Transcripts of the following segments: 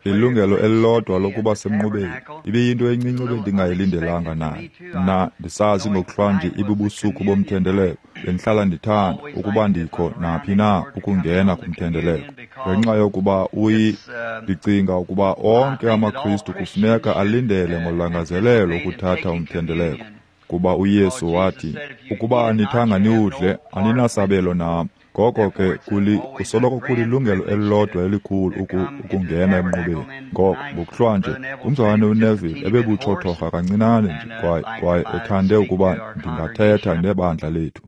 Ilungelo elilodwa lokuba semnqubeni ibiyinto encinci ebendingayilindelanga nayo. Mna ndisazi ngokuhlwanje ibubusuku bomthendeleko, bendihlala ndithanda ukuba ndikho naphi na ukungena kumthendeleko. Ngenxa yokuba ndicinga ukuba onke amaKristu kufuneka alindele ngolangazelelo ukuthatha umthendeleko, kuba uYesu wathi, ukuba anithanga niwudle, aninasabelo nam. Ngoko ke kusoloko kulilungelo elilodwa elikhulu ukungena emnqubeni. Ngoko ngokuhlwanje umzalwane uNeville ebebutshothorha kancinane nje kwaye ethande ukuba ndingathetha nebandla lethu.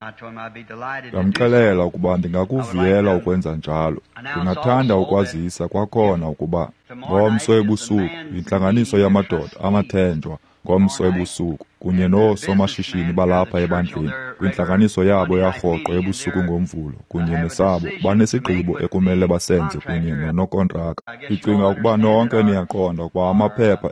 Ndamxelela ukuba ndingakuvuyela ukwenza njalo. Ndingathanda ukwazisa kwakhona ukuba ngomso ebusuku yintlanganiso yamadoda amathenjwa ngomso ebusuku kunye noosomashishini balapha ebandleni kwintlanganiso yabo yarhoqo ebusuku ngoMvulo kunye nesabo banesigqibo ekumele basenze kunye nonokontraka. Ndicinga ukuba nonke niyaqonda ukuba amaphepha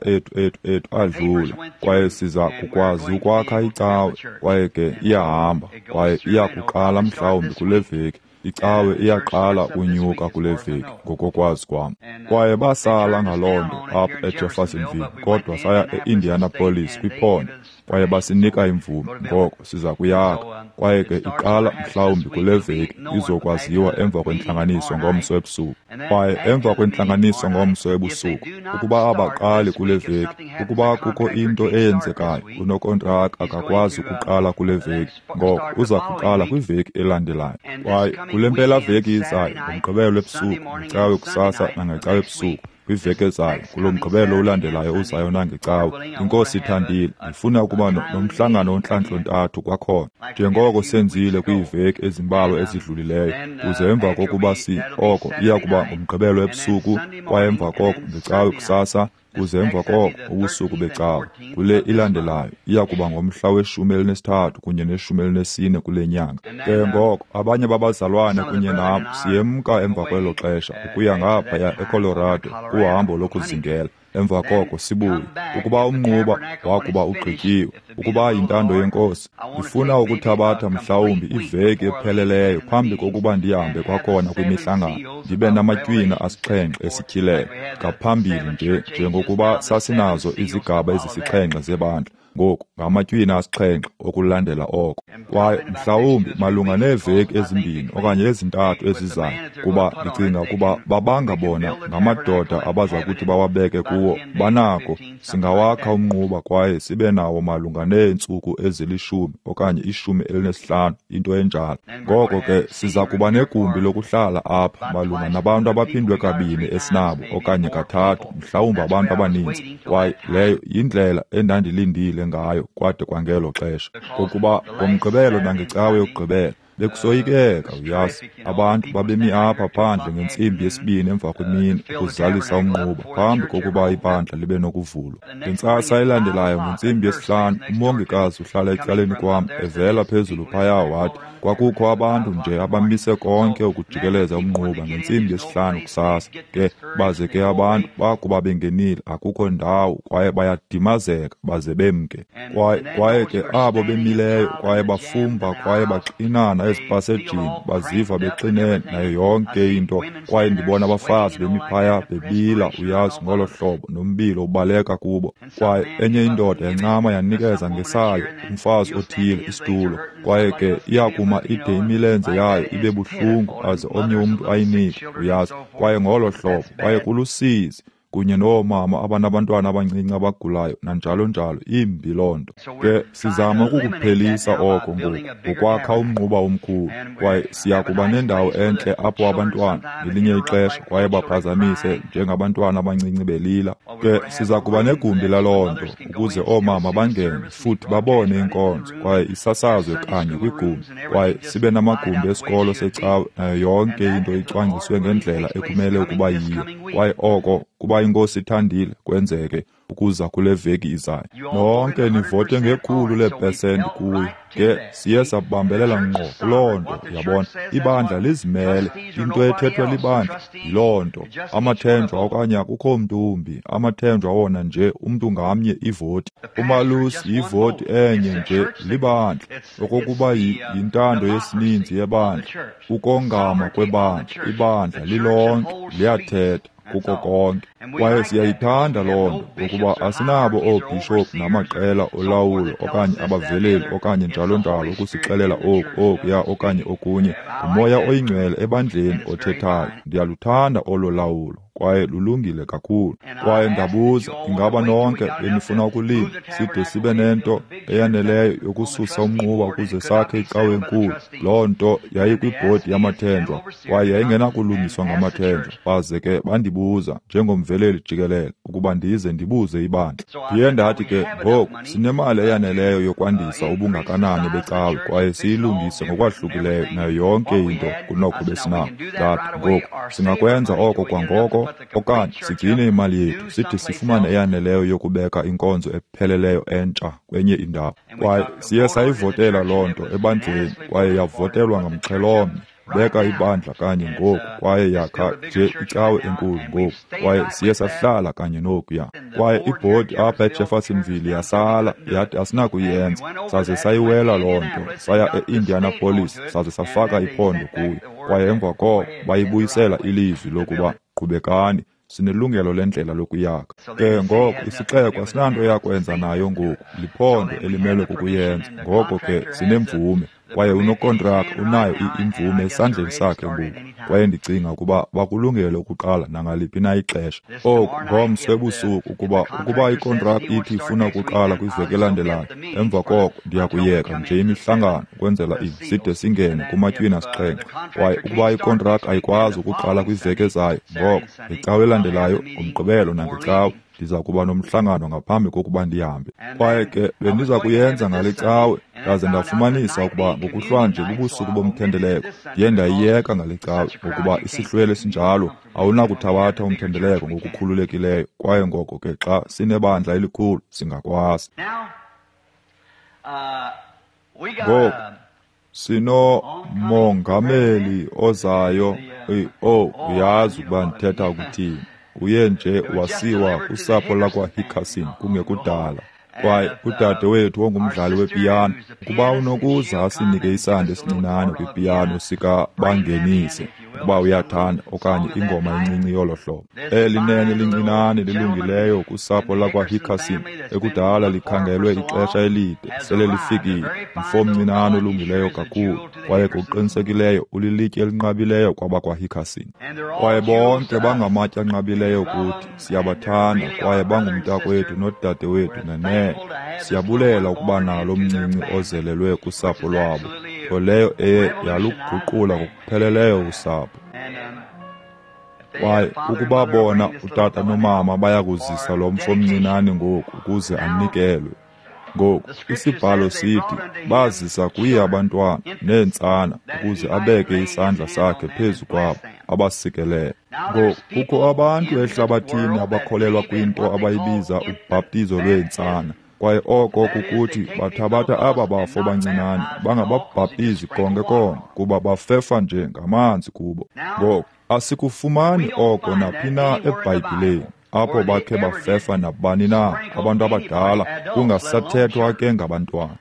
ethu adlula kwaye siza kukwazi ukwakha icawe kwaye ke iyahamba kwaye iyakuqala mhlawumbi kule veki. Icawe iyaqala unyuka kule veki ngokokwazi kwam. Kwaye basala ngaloo nto apha eJeffersonville, kodwa saya e-Indianapolis kwiphondo kwaye basinika imvume. Ngoko siza kuyakha kwaye ke iqala mhlawumbi kule veki, izokwaziwa emva kwentlanganiso ngomso ebusuku. Kwaye emva kwentlanganiso ngomso ebusuku, ukuba abaqali kule veki, ukuba kukho into eyenzekayo, unokontraka akakwazi ukuqala kule veki, ngoko uza kuqala kwiveki elandelayo. Kwaye kule mpelaveki izayo, ngoMgqibelo ebusuku, ngeCawe kusasa nangeCawe ebusuku, kwiveki ezayo, kulo Mgqibelo ulandelayo uzayo nangeCawe, iNkosi ithandile, ndifuna ukuba nomhlangano ontlantlo-ntathu kwakhona, njengoko senzile kwiiveki ezimbalwa ezidlulileyo, kuze emva kokuba oko iya kuba ngoMgqibelo ebusuku, kwaye emva koko ngeCawe kusasa, kuze emva koko ubusuku beCawe. Kule ilandelayo iya kuba ngomhla we-13 kunye ne-14 kule nyanga. Ke ngoko abanye babazalwane kunye nam siyemka emva kwelo xesha ukuya ngaphaya eColorado kuhambo lokuzingela. Emva koko sibuye. Ukuba umnquba wakuba ugqityiwe, ukuba yintando yeNkosi, ndifuna ukuthabatha mhlawumbi iveki epheleleyo phambi kokuba ndihambe kwakhona kwimihlangano, ndibe namatywina 7 esityhilelo ngaphambili nje njengokuba sasinazo izigaba ezisixhenxe zebandla. Ngoku ngamatywina 7 okulandela oko. Kwaye mhlawumbi malunga neeveki ezimbini okanye ezintathu ezizayo, kuba ndicinga ukuba babanga bona ngamadoda abaza kuthi bawabeke kuwo, banako singawakha umnquba kwaye sibe nawo malunga neentsuku ezili-10 okanye 15, into enjalo. Ngoko ke siza kuba negumbi lokuhlala apha malunga nabantu abaphindwe kabini esinabo okanye kathathu, mhlawumbi abantu abaninzi. Kwaye leyo yindlela endandilindile ngayo kwade kwangelo xesha, ngokuba ngoMgqibelo nangeCawe yokugqibela bekusoyikeka, uyazi. Abantu babemi apha phandle ngentsimbi yesibini emva kwemini ukuzalisa umnquba phambi kokuba ibandla libe nokuvulwa. Ngentsasa elandelayo ngentsimbi yesihlanu, umongikazi uhlala ecaleni kwam evela phezulu phaya wathi kwakukho abantu nje abamise konke ukujikeleza umnquba ngentsimbi yesihlanu kusasa. Ke baze ke abantu bakuba bengenile akukho ndawo kwaye bayadimazeka baze bemke. Kwaye ke abo bemileyo kwaye bafumba kwaye baxinana ezipasejini, baziva bexinene nayo yonke into. Kwaye ndibona abafazi bemi phaya bebila, uyazi, ngolo hlobo, nombilo ubaleka kubo. Kwaye enye indoda yancama yanikeza ngesayo umfazi othile isitulo, kwaye ke iyakuma ide imilenze yayo ibe buhlungu aze omnye umntu ayinike, uyazi. Kwaye ngolo hlobo, kwaye kulusizi, kunye noomama abanabantwana abancinci abagulayo nanjalo njalo, imbi loo nto. Ke sizama ukukuphelisa oko ngoku ngokwakha umnquba omkhulu, kwaye siya kuba nendawo entle apho abantwana ngelinye ixesha kwaye baphazamise njengabantwana abancinci belila. Ke siza kuba negumbi laloo nto ukuze oomama bangene futhi babone inkonzo kwaye isasazwe kanye kwigumbi, kwaye sibe namagumbi esikolo secawe nayo yonke into icwangciswe ngendlela ekumele ukuba yiyo. Kwaye oko kuba iNkosi ithandile kwenzeke ukuza kule veki izayo. Nonke nivote nge100% kuyo. Ke siye sabambelela ngqo kuloo nto, uyabona. Ibandla lizimele, into ethethwe libandla yiloo nto. Amathenjwa okanye akukho mntu umbi, amathenjwa wona nje umntu ngamnye ivoti. Umalusi yivoti enye nje libandla, okokuba yintando yesininzi yebandla, ukongama kwebandla, ibandla lilonke liyathetha. kuko konke. Kwaye siyayithanda loo nto, ngokuba asinabo oobhishophu namaqela olawulo okanye abaveleli okanye njalo njalo ukusixelela oku, okuya okanye okunye. NguMoya oyiNgcwele ebandleni othethayo. Ndiyaluthanda olo lawulo, kwaye lulungile kakhulu. Kwaye ndabuza, ingaba nonke benifuna ukulinda side sibe nento eyaneleyo yokususa umnquba ukuze sakhe icawe enkulu? Loo nto yayikwibhodi yamathenjwa, kwaye yayingenakulungiswa ngamathenjwa. Baze ke bandibuza njengomveleli jikelele ukuba ndize ndibuze ibandla. Ndiye ndathi ke, ngoku sinemali eyaneleyo yokwandisa ubungakanani becawe kwaye siyilungise ngokwahlukileyo nayo yonke into kunoko besinako. Ndathi, ngoku singakwenza oko kwangoko, okanye sigcine imali yethu side sifumane eyaneleyo yokubeka inkonzo epheleleyo entsha kwenye indawo. Kwaye siye sayivotela loo nto ebandleni, kwaye yavotelwa ngamxhelomnye. Beka ibandla kanye ngoku, kwaye yakha nje icawe enkulu ngoku, kwaye siye sahlala kanye nokuya. Kwaye ibhodi apha eJeffersonville yasala, yathi asinakuyenza, saze sayiwela loo nto, saya e-Indianapolis, saze safaka iphondo kuyo. Kwaye emva koko bayibuyisela ilizwi lokuba qhubekani, sinelungelo lendlela lokuyakha. Ke ngoko isixeko asinanto yakwenza nayo ngoku, liphondo elimelwe kukuyenza. Ngoko ke sinemvume, kwaye unokontraka unayo imvume esandleni sakhe ngoku. Kwaye ndicinga ukuba bakulungele ukuqala nangaliphi na ixesha. Oku ngomso ebusuku, ukuba ikontraka ithi ifuna ukuqala kwiveki elandelayo, emva koko ndiya kuyeka nje imihlangano ukwenzela side singene kumatywina asixhenxe. Kwaye ukuba ikontraka ayikwazi ukuqala kwiveki ezayo, ngoko ngecawe elandelayo, ngoMgqibelo nangecawe, ndiza kuba nomhlangano ngaphambi kokuba ndihambe. Kwaye ke bendiza kuyenza ngale cawe, ndaze ndafumanisa ukuba ngokuhlwanje bubusuku bomthendeleko. Ndiye ndayiyeka ngale cawe, ngokuba isihlwele sinjalo awunakuthabatha umthendeleko ngokukhululekileyo. Kwaye ngoko ke xa sinebandla elikhulu singakwazi. Ngoku sinomongameli ozayo. Uyazi ukuba ndithetha ukuthini. Uye nje wasiwa kusapho lakwaHickerson kungekudala. Kwaye udade wethu ongumdlali wepiyano, ukuba unokuza asinike isandi esincinane kwipiyano sikaBangenise, ukuba uyathanda, okanye ingoma encinci yolo hlobo. Eli nene lincinane lilungileyo kusapho lakwaHickerson, ekudala likhangelwe ixesha elide, sele lifikile. Mfo omncinane olungileyo kakhulu, kwaye ngokuqinisekileyo ulilitye elinqabileyo kwabakwaHickerson. Kwaye bonke bangamatye anqabileyo kuthi, siyabathanda, kwaye bangumntakwethu nodade wethu nene. Siyabulela ukuba nalo mncinci ozelelwe kusapho lwabo, nto leyo eye yaluguqula ngokupheleleyo usapho. Kwaye ukuba bona utata nomama bayakuzisa lo mfo mncinane ngoku ukuze anikelwe. Ngoku isibhalo sithi bazisa kuye abantwana neentsana ukuze abeke isandla sakhe phezu kwabo abasikelele. Ngoku kukho abantu ehlabathini abakholelwa kwinto abayibiza ubhaptizo lweentsana. Kwaye oko kukuthi bathabatha aba bafo bancinane bangababhaptizi konke konke, kuba bafefa nje ngamanzi kubo. Ngoku asikufumani oko naphi na eBhayibhileni, apho bakhe bafefa nabani na abantu abadala, kungasathethwa ke ngabantwana.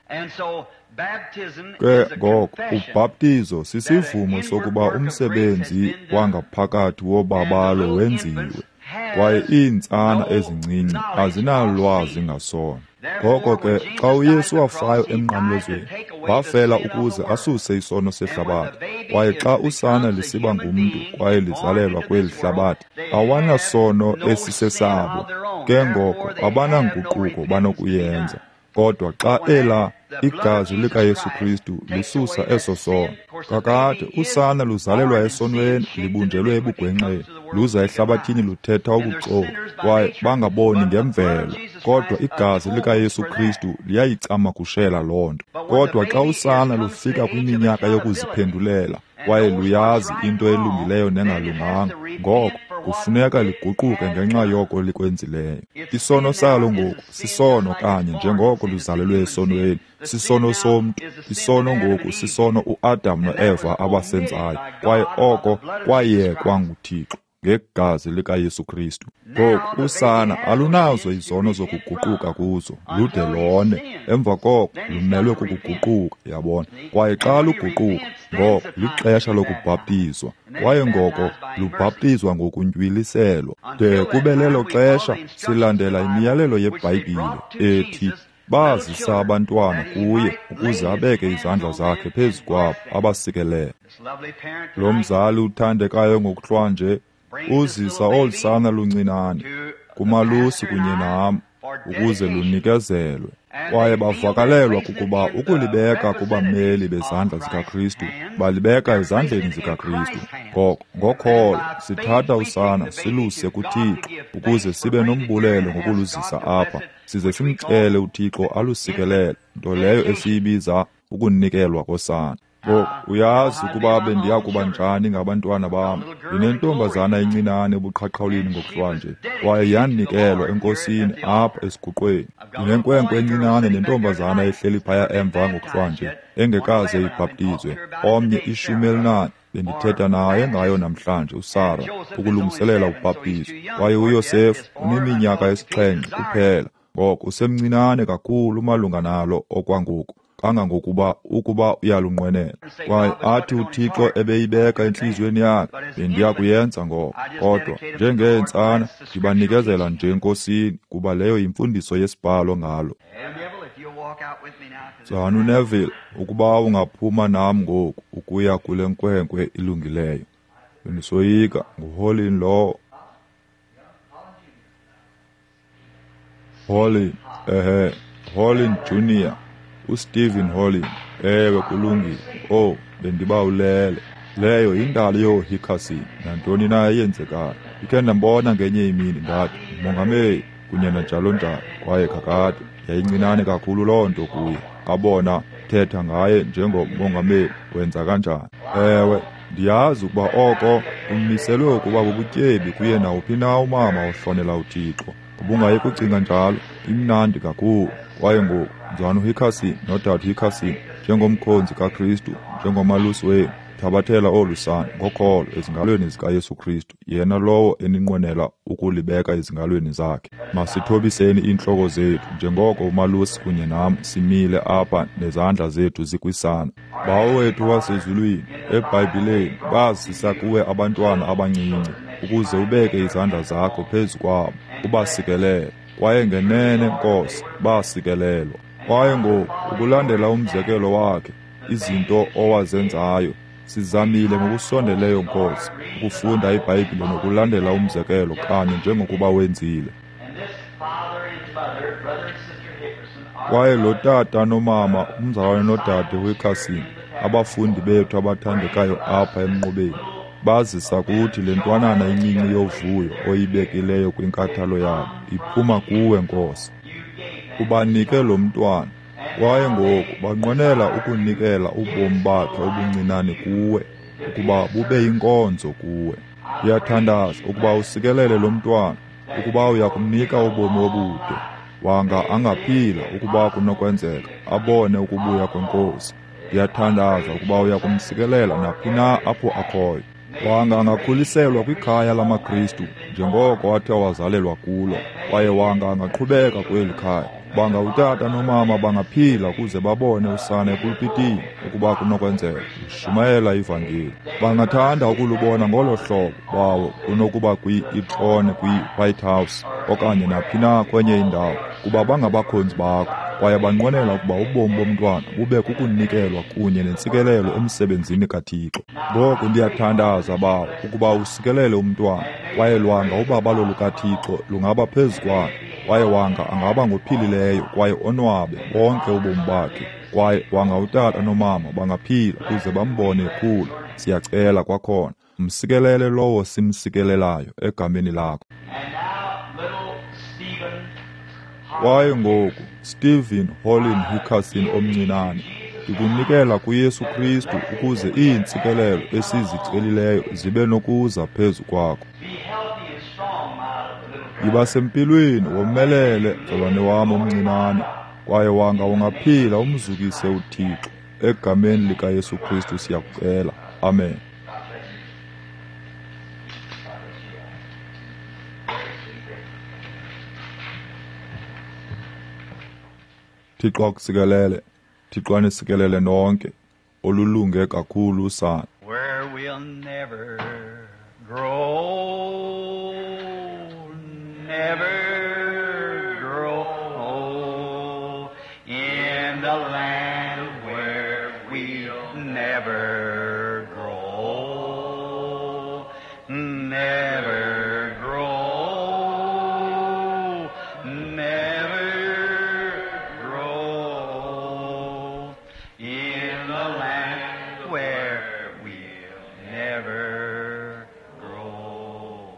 Ke ngoko ubhaptizo sisivumo sokuba umsebenzi wangaphakathi wobabalo wenziwe, kwaye iintsana ezincinci azinalwazi ngasono. Ngoko ke xa uYesu wafayo emnqamlezweni, wafela ukuze asuse isono sehlabathi. Kwaye xa usana lisiba ngumntu kwaye lizalelwa kweli hlabathi, awanasono esisesabo. Ke ngoko abananguquko banokuyenza. Kodwa xa ela igazi likaYesu Kristu lisusa eso sono, kakade usana luzalelwa esonweni, libunjelwe ebugwenxeni, luza ehlabathini luthetha ubuxoki, kwaye bangaboni ngemvelo. Kodwa igazi likaYesu Kristu liyayicamagushela loo nto. Kodwa xa usana lufika kwiminyaka yokuziphendulela, kwaye luyazi into elungileyo nengalunganga, ngoko kufuneka liguquke ngenxa yoko likwenzileyo. Isono salo ngoku sisono kanye njengoko luzalelwe esonweni, sisono somntu. Isono ngoku sisono uAdam noEva abasenzayo, kwaye oko kwayekwa nguThixo. ngegazi likaYesu Kristu. Ngoku usana alunazo izono zokuguquka kuzo, lude lone. Emva koko lumelwe kukuguquka, yabona. Kwaye xa luguquka, ngoko lixesha lokubhaptizwa, kwaye ngoko lubhaptizwa ngokuntywiliselwa. De kube lelo xesha silandela imiyalelo yeBhayibhile ethi bazisa abantwana kuye ukuze abeke izandla zakhe phezu kwabo abasikelele. Lo mzali uthandekayo ngokuhlwanje uzisa olu sana luncinane kumalusi kunye nam ukuze lunikezelwe. Kwaye bavakalelwa kukuba ukulibeka kubameli bezandla zikaKristu, balibeka ezandleni zikaKristu. Ngoko ngokholo sithatha usana siluse kuThixo ukuze sibe nombulelo ngokuluzisa apha, size simcele uThixo alusikelele, nto leyo esiyibiza ukunikelwa kosana. Ngoku uyazi ukuba bendiya kuba njani ngabantwana bam. Ndinentombazana encinane ebuqhaqhawulini ngokuhlwanje, kwaye yanikelwa eNkosini apha esiguqweni. Ndinenkwenkwe encinane nentombazana ehleli phaya emva ngokuhlwanje engekaze ibhaptizwe, omnye 14. Bendithetha naye ngayo namhlanje, uSara, ukulungiselela ubhaptizo. Kwaye uYosefu uneminyaka 7 kuphela, ngoko usemncinane kakhulu malunga nalo okwangoku, kangangokuba ukuba uyalunqwenela. Kwaye athi uThixo ebeyibeka entliziyweni yakhe, bendiya kuyenza ngoko. Kodwa njengeentsana ndibanikezela nje eNkosini, kuba leyo yimfundiso yesibhalo ngalo. Mzalwana uNeville, ukuba ungaphuma nam ngoku ukuya kule nkwenkwe ilungileyo. Bendisoyika, nguHolin lowo. Holin, ehe, Holin Junior, uStephen Holin. Ewe, kulungile. Oh, bendibawulele. Leyo yindalo yooHickerson, nantoni na eyenzekayo. Ndikhe ndambona ngenye imini, ndathi, Mongameli, kunye nanjalo njalo. Kwaye kakade yayincinane kakhulu loo nto kuye. Abona thetha ngaye njengomongameli, wenza kanjani? Ewe, ndiyazi ukuba oko kumiselwe ukuba bubutyebi kuye nawuphi na umama ohlonela uThixo. Ubungayi kucinga njalo, imnandi kakhulu. Kwaye ngoku, Mzalwana uHickerson nodade Hickerson, njengomkhonzi kaKristu, njengomalusi wenu, thabathela olu sana ngokholo ezingalweni zikaYesu Kristu, yena lowo eninqwenela ukulibeka ezingalweni zakhe. Masithobiseni iintloko zethu njengoko umalusi kunye nam simile apha nezandla zethu zikwisana. Bawo wethu wasezulwini, eBhayibhileni bazisa kuwe abantwana abancinci ukuze ubeke izandla zakho phezu kwabo ubasikelele. Kwaye ngenene, Nkosi, basikelelwa. Kwaye ngoku ukulandela umzekelo wakhe, izinto owazenzayo, sizamile ngokusondeleyo, Nkosi, ukufunda iBhayibhile nokulandela umzekelo kanye njengokuba wenzile. Kwaye lo tata nomama, umzalwane nodade Wickerson, abafundi bethu abathandekayo apha emnqubeni, bazisa kuthi le ntwanana incinci yovuyo oyibekileyo kwinkathalo yabo, iphuma kuwe, Nkosi. Ubanike lo mntwana, kwaye ngoku banqwenela ukunikela ubomi bakhe obuncinane kuwe, ukuba bube yinkonzo kuwe. Ndiyathandaza ukuba usikelele lo mntwana, ukuba uyakumnika ubomi obude, wanga angaphila ukuba kunokwenzeka, abone ukubuya kweNkosi. Ndiyathandaza ukuba uyakumsikelela naphi na apho akhoyo. Wanga angakhuliselwa kwikhaya lamaKristu njengoko athe wazalelwa kulo, kwaye wanga angaqhubeka kweli khaya. Banga utata nomama bangaphila ukuze babone usana epulpitini ukuba kunokwenzeka, ushumayela ivangeli. Bangathanda ukulubona ngolo hlobo bawo kunokuba kwi-itrone kwi-White House okanye naphi na kwenye indawo, kuba bangabakhonzi bakho, kwaye banqwenela ukuba ubomi bomntwana bube kukunikelwa kunye nentsikelelo emsebenzini kaThixo. Ngoku ndiyathandaza, Bawo, ukuba usikelele umntwana, kwaye lwanga ubabalo lukaThixo lungaba phezu kwakhe, kwaye wanga angaba ngophilileyo kwaye onwabe bonke ubomi bakhe, kwaye wanga utata nomama bangaphila ukuze bambone ekhula. Siyacela kwakhona, msikelele lowo simsikelelayo egameni lakho. Kwaye ngoku, Stephen Holin Hickerson omncinane, ndikunikela kuYesu Kristu ukuze iintsikelelo esizicelileyo zibe nokuza phezu kwakho. Yiba sempilweni, womelele, mzalwane wam omncinane, kwaye wanga ungaphila umzukise uThixo. Egameni likaYesu Kristu siyakucela. Amen. Thixo akusikelele, Thixo anisikelele nonke, olulunge kakhulu usana. Where we'll never grow, never grow old, in the land where we'll never grow, never grow, never grow, in the land where we'll never grow.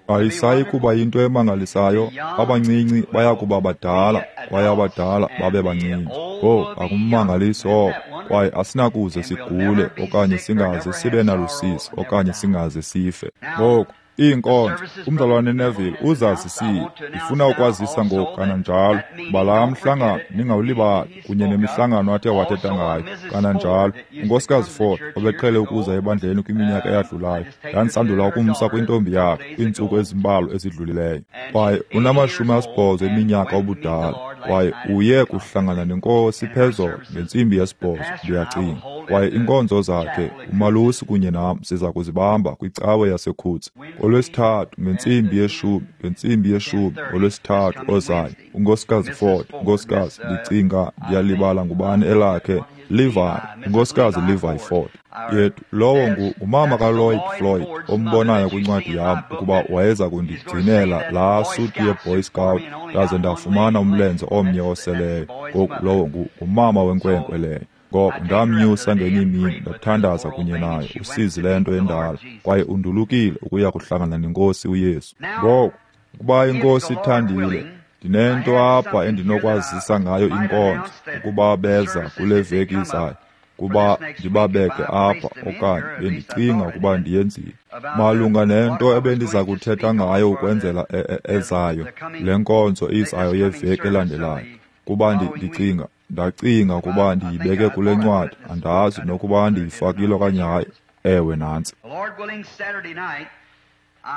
Ayisayi kuba yinto emangalisayo, abancinci baya kuba badala, kwaye abadala babe bancinci. Owu, akummangaliso oko, kwaye asinakuze sigule okanye singaze sibe nalusizi okanye singaze sife. Ngoku, iinkonzo, umzalwane Neville uzazisile. Ndifuna ukwazisa ngoku kananjalo uba laa mhlangano ningawulibali, kunye nemihlangano athe wathetha ngayo kananjalo. UNkosikazi Ford obeqhele ukuza ebandleni kwiminyaka eyadlulayo, ndandisandula ukumsa kwintombi yakhe kwiintsuku ezimbalwa ezidlulileyo. Kwaye unama-80 eminyaka ubudala, kwaye uye kuhlangana neNkosi phezolo ngentsimbi yesibhozo, ndiyacinga. Kwaye iinkonzo zakhe, umalusi kunye nam siza kuzibamba kwicawe yaseKhutsi ngoLwesithathu ngentsimbi yeshumi, ngentsimbi yeshumi ngoLwesithathu ozayo. UNkosikazi Ford, uNkosikazi, ndicinga ndiyalibala ngubani elakhe, Levi, uNkosikazi Levi Ford. Yethu, lowo ngumama kaLloyd Floyd ombonayo kwincwadi yam ukuba wayeza kundigcinela laa suti yeBoy Scout ndaze ndafumana umlenze omnye oseleyo. Ngoku lowo ngumama wenkwenkwe leyo. Ngoko ndamnyusa ngenye imini ndathandaza kunye naye, usizi lento endala, kwaye undulukile ukuya kuhlangana neNkosi uYesu. Ngoku, ukuba iNkosi ithandile, ndinento apha endinokwazisa ngayo inkonzo ukuba beza kule veki izayo, kuba ndibabeke apha okanye bendicinga ukuba ndiyenzile. Malunga nento ebendiza kuthetha ngayo ukwenzela ezayo, le nkonzo izayo yeveki elandelayo, kuba ndicinga ndacinga ukuba ndiyibeke kule ncwadi, andazi nokuba ndiyifakile okanye hayi. Ewe, nantsi.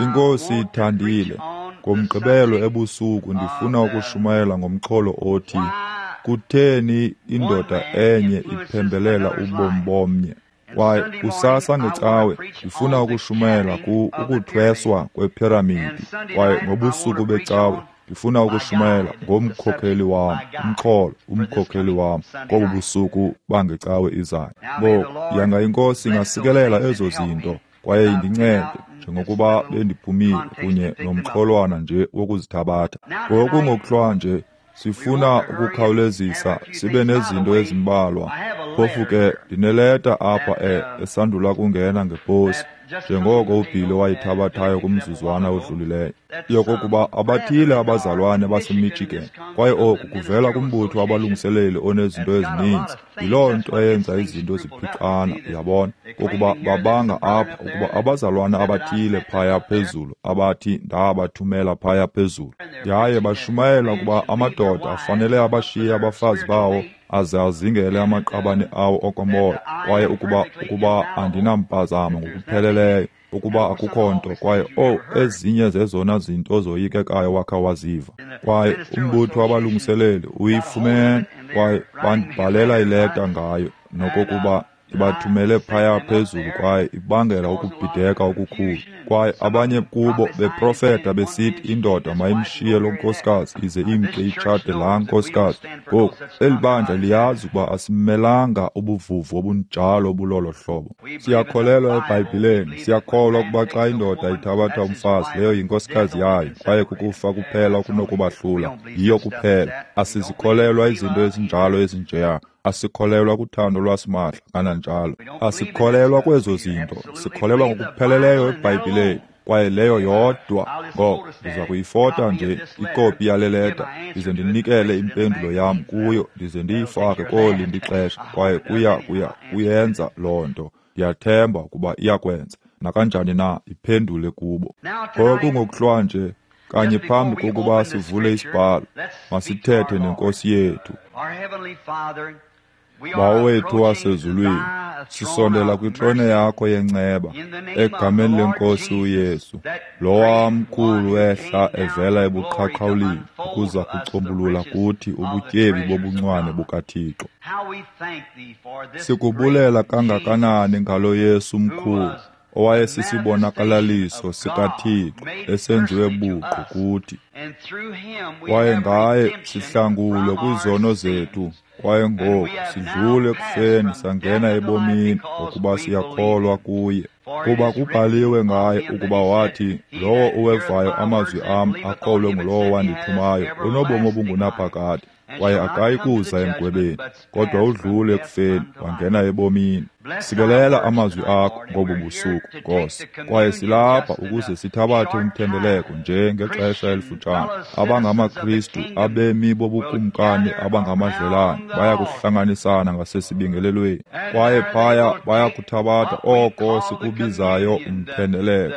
INkosi ithandile, ngoMgqibelo ebusuku ndifuna ukushumayela ngomxholo othi kutheni indoda enye iphembelela ubomi bomnye. Kwaye kusasa ngecawe ndifuna ukushumayela ukuthweswa kwephiramidi. Kwaye ngobusuku becawe ndifuna ukushumayela ngomkhokheli wam, umxholo, umkhokheli wam, kobu busuku bangecawe izayo. Ngoku, yanga iNkosi ingasikelela ezo zinto kwaye indincede njengokuba bendiphumile kunye nomxholwana nje wokuzithabatha. Ngoku ngokuhlwa nje sifuna ukukhawulezisa sibe nezinto ezimbalwa. Phofu ke ndineleta apha esandula kungena ngeposi, njengoko uBhili wayithabathayo kumzuzwana odlulileyo, yokokuba abathile abazalwane baseMichigan, kwaye oku kuvela kumbutho wabalungiseleli onezinto ezininzi. Yiloo nto eyenza izinto ziphixana, uyabona, kokuba babanga apha ukuba abazalwane abathile phaya phezulu abathi ndabathumela phaya phezulu, yaye bashumayela ukuba amadoda afanele abashiye abafazi bawo aze azingele amaqabane awo okomoya, kwaye ukuba andinampazamo ngokupheleleyo, ukuba akukho nto, kwaye ezinye zezona zinto zoyikekayo wakha waziva. Kwaye umbutho wabalungiseleli uyifumene, kwaye bandibhalela ileta ngayo, nokokuba ibathumele phaya phezulu, kwaye ibangela ukubhideka okukhulu. Kwaye abanye kubo beprofeta besithi indoda mayimshiye lo nkosikazi ize imke itshate laa nkosikazi. Ngoku, eli bandla liyazi ukuba asimelanga ubuvuvu obunjalo obulolo hlobo. Siyakholelwa eBhayibhileni, siyakholwa ukuba xa indoda ithabatha umfazi, leyo yinkosikazi yayo, kwaye kukufa kuphela okunokubahlula, yiyo kuphela. Asizikholelwa izinto ezinjalo ezinjeya. Asikholelwa kuthando lwasimahla kananjalo. Asikholelwa kwezo zinto. Sikholelwa ngokupheleleyo eBhayibhileni, kwaye leyo yodwa. Ngoko ndiza kuyifota nje ikopi yale leta, ndize ndinikele impendulo yam kuyo, ndize ndiyifake kolindi ixesha, kwaye kuyenza loo nto. Ndiyathemba ukuba iyakwenza. Nakanjani na iphendule kubo. Ngoku ngokuhlwa nje, kanye phambi kokuba sivule isibhalo, masithethe neNkosi yethu. Bawo wethu wasezulwini, sisondela kwitrone yakho yenceba, egameni lenkosi uYesu, lowa mkhulu wehla evela ebuqhaqhawulini ukuza kucombulula kuthi ubutyebi bobuncwane bukaThixo. Sikubulela kangakanani ngalo Yesu mkhulu, owayesisibonakalaliso sikaThixo esenziwe buqu kuthi. Kwaye ngaye sihlangulwe kwizono zethu, kwaye ngoku sidlule ekufeni sangena ebomini ngokuba siyakholwa kuye. Kuba kubhaliwe ngaye ukuba wathi, lowo uwevayo amazwi am akholwe ngulowo wandithumayo unobomi obungunaphakade, kwaye akayi kuza emgwebeni, kodwa udlule ekufeni wangena ebomini. Sikelela amazwi akho ngobu busuku, Nkosi, kwaye silapha ukuze sithabathe umthendeleko nje ngexesha elifutshane. AbangamaKristu, abemi bobukumkani abangamadlelane, baya kuhlanganisana ngasesibingelelweni, kwaye phaya baya kuthabatha oko sikubizayo umthendeleko,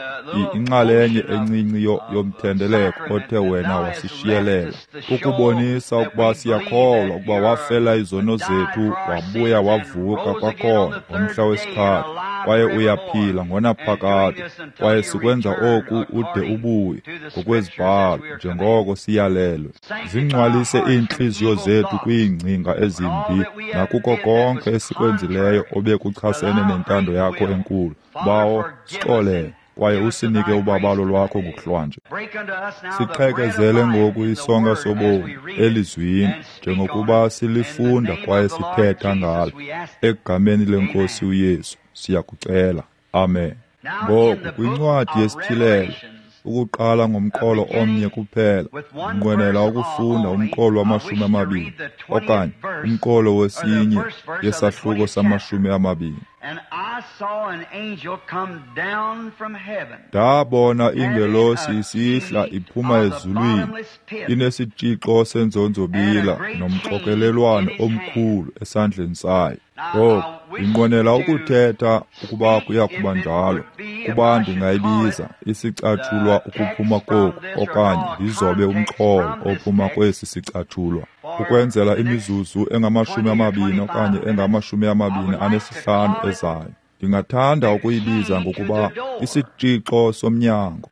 inxalenye encinci yomthendeleko othe wena wasishiyelela, ukubonisa ukuba siyakholwa ukuba wafela izono zethu, wabuya wavuka kwakhona ngomhla wesithathu, kwaye uyaphila ngonaphakade, kwaye sikwenza oku ude ubuye ngokwezibhalo njengoko siyalelwe. Zingcwalise iintliziyo zethu kwiingcinga ezimbi nakuko konke esikwenzileyo obekuchasene nentando yakho enkulu. Bawo, sixolele kwaye usinike ubabalo lwakho ngokuhlwanje. Siqhekezele ngoku isonka sobomi elizwini njengokuba silifunda kwaye sithetha ngalo. Egameni lenkosi uYesu siyakucela. Amen. Ngoku kwincwadi yesiTyhilelo, ukuqala ngomqolo omnye kuphela, ndinqwenela ukufunda umqolo wama-20 okanye umqolo wesinye yesahluko sama-20. Ndabona ingelosi isihla iphuma ezulwini, inesitshixo senzonzobila nomxokelelwano omkhulu esandleni sayo. Ngoku ndinqwenela ukuthetha ukuba kuya kuba njalo, kuba ndingayibiza isicatshulwa ukuphuma koku, okanye ndizobe umxholo ophuma kwesi sicatshulwa, ukwenzela imizuzu engama-20 okanye engama-25 ezayo. Ndingathanda ukuyibiza ngokuba isitshixo somnyango.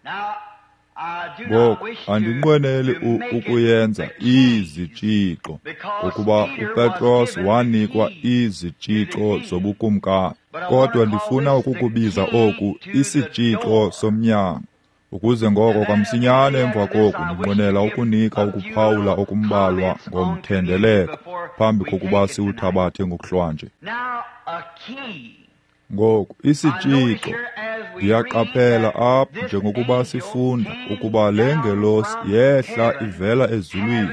Ngoku andinqweneli ukuyenza izitshixo, ngokuba uPetros wanikwa izitshixo zobukumkani, kodwa ndifuna ukukubiza oku isitshixo somnyango, ukuze ngoko kamsinyane emva koku ndinqwenela ukunika ukuphawula okumbalwa ngomthendeleko phambi kokuba siwuthabathe ngokuhlwanje. Ngoku isitshixo, ndiyaqaphela apha njengokuba sifunda ukuba le ngelosi yehla ivela ezulwini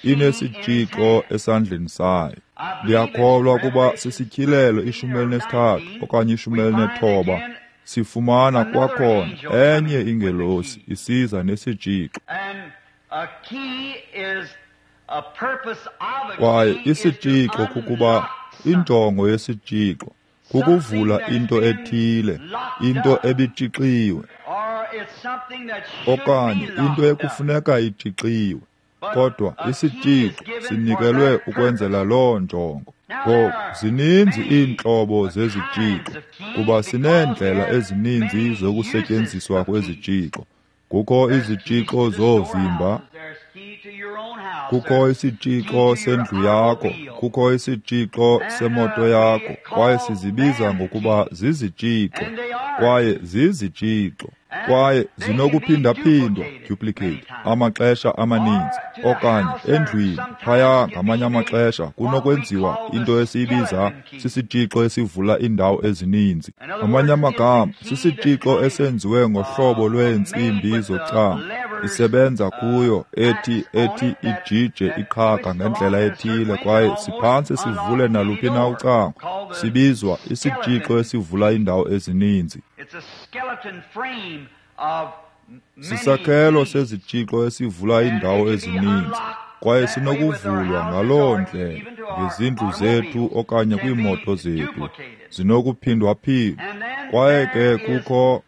inesitshixo esandleni sayo. Ndiyakholwa ukuba sisityhilelo 13 okanye 19, sifumana kwakhona enye ingelosi isiza nesitshixo. Kwaye isitshixo kukuba injongo yesitshixo kukuvula into ethile, into ebitshixiwe, okanye into ekufuneka itshixiwe, kodwa isitshixo sinikelwe ukwenzela loo njongo. Ngoku zininzi iintlobo zezitshixo, kuba sineendlela ezininzi zokusetyenziswa kwezitshixo. Kukho izitshixo zoovimba, kukho isitshixo sendlu yakho, kukho isitshixo semoto yakho, kwaye sizibiza ngokuba zizitshixo, kwaye zizitshixo, kwaye zinokuphindaphindwa, duplicate, amaxesha amaninzi, okanye endlwini phaya ngamanye amaxesha kunokwenziwa into esiyibiza sisitshixo esivula iindawo ezininzi. Ngamanye amagama, sisitshixo esenziwe ngohlobo lweentsimbi zocango, isebenza kuyo ethi ijije iqhaga ngendlela ethile, kwaye siphantse sivule naluphi na ucango. Sibizwa isitshixo esivula iindawo ezininzi. Sisakhelo sezitshixo esivula iindawo ezininzi, kwaye sinokuvulwa ngaloo ndlela ngezindlu zethu okanye kwiimoto zethu. Zinokuphindwaphindwa. Kwaye ke kukho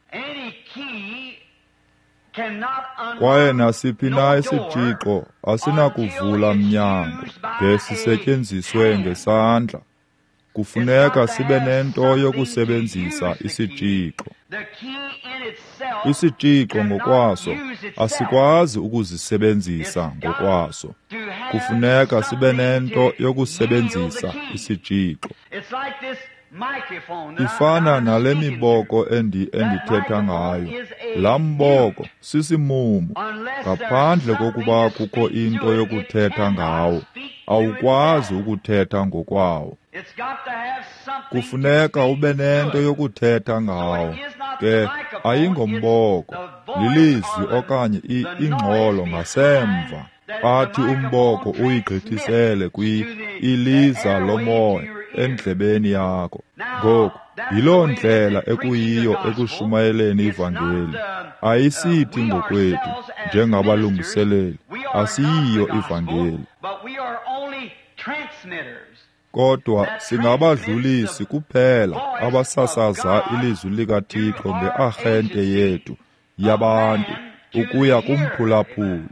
kwaye nasiphi na isitshixo asinakuvula mnyango de sisetyenziswe ngesandla. Kufuneka sibe nento yokusebenzisa isitshixo. Isitshixo ngokwaso asikwazi ukuzisebenzisa ngokwaso. Kufuneka sibe nento yokusebenzisa isitshixo. Ifana nale miboko endithetha ngayo. Laa mboko sisimumu. Ngaphandle kokuba kukho into yokuthetha ngawo, awukwazi ukuthetha ngokwawo. Kufuneka ube nento yokuthetha ngawo. Ke ayingomboko, lilizwi okanye ingxolo ngasemva. Athi umboko uyigqithisele iliza lomoya endlebeni yakho. Ngoku yiloo ndlela ekuyiyo ekushumayeleni ivangeli. Ayisithi ngokwethu njengabalungiseleli, asiyiyo ivangeli, kodwa singabadlulisi kuphela abasasaza ilizwi likaThixo ngearhente yethu yabantu ukuya kumphulaphuli.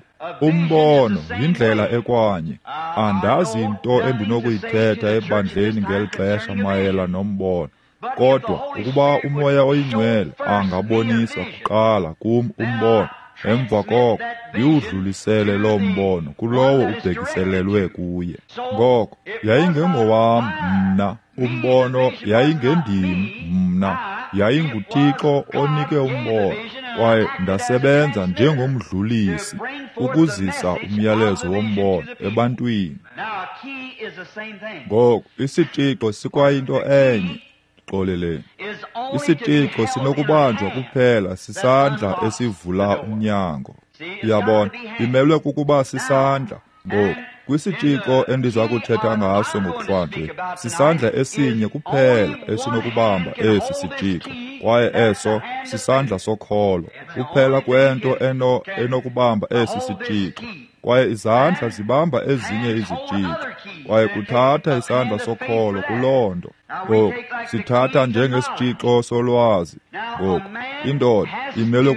Umbono yindlela ekwanye. Andazi nto endinokuyithetha ebandleni ngeli xesha mayela nombono, kodwa ukuba uMoya oyiNgcwele angabonisa kuqala kum umbono, emva koko ndiwudlulisele loo mbono kulowo ubhekiselelwe kuye. Ngoko yayingengowam mna umbono, yayingendim mna, yayinguThixo onike umbono, kwaye ndasebenza njengomdlulisi ukuzisa umyalezo wombono ebantwini. Ngoku isitshixo sikwayinto enye. Xoleleni. Isitshixo sinokubanjwa kuphela sisandla esivula umnyango. Uyabona, imelwe kukuba sisandla. Ngoku kwisitshixo endiza kuthetha ngaso ngokuhlwanje, sisandla esinye kuphela esinokubamba esi sitshixo, kwaye eso sisandla sokholo. Kuphela kwento enokubamba esi sitshixo, kwaye izandla zibamba ezinye izitshixo, kwaye kuthatha isandla sokholo kuloo nto. Ngoku sithatha njengesitshixo solwazi. Ngoku indoda imelwe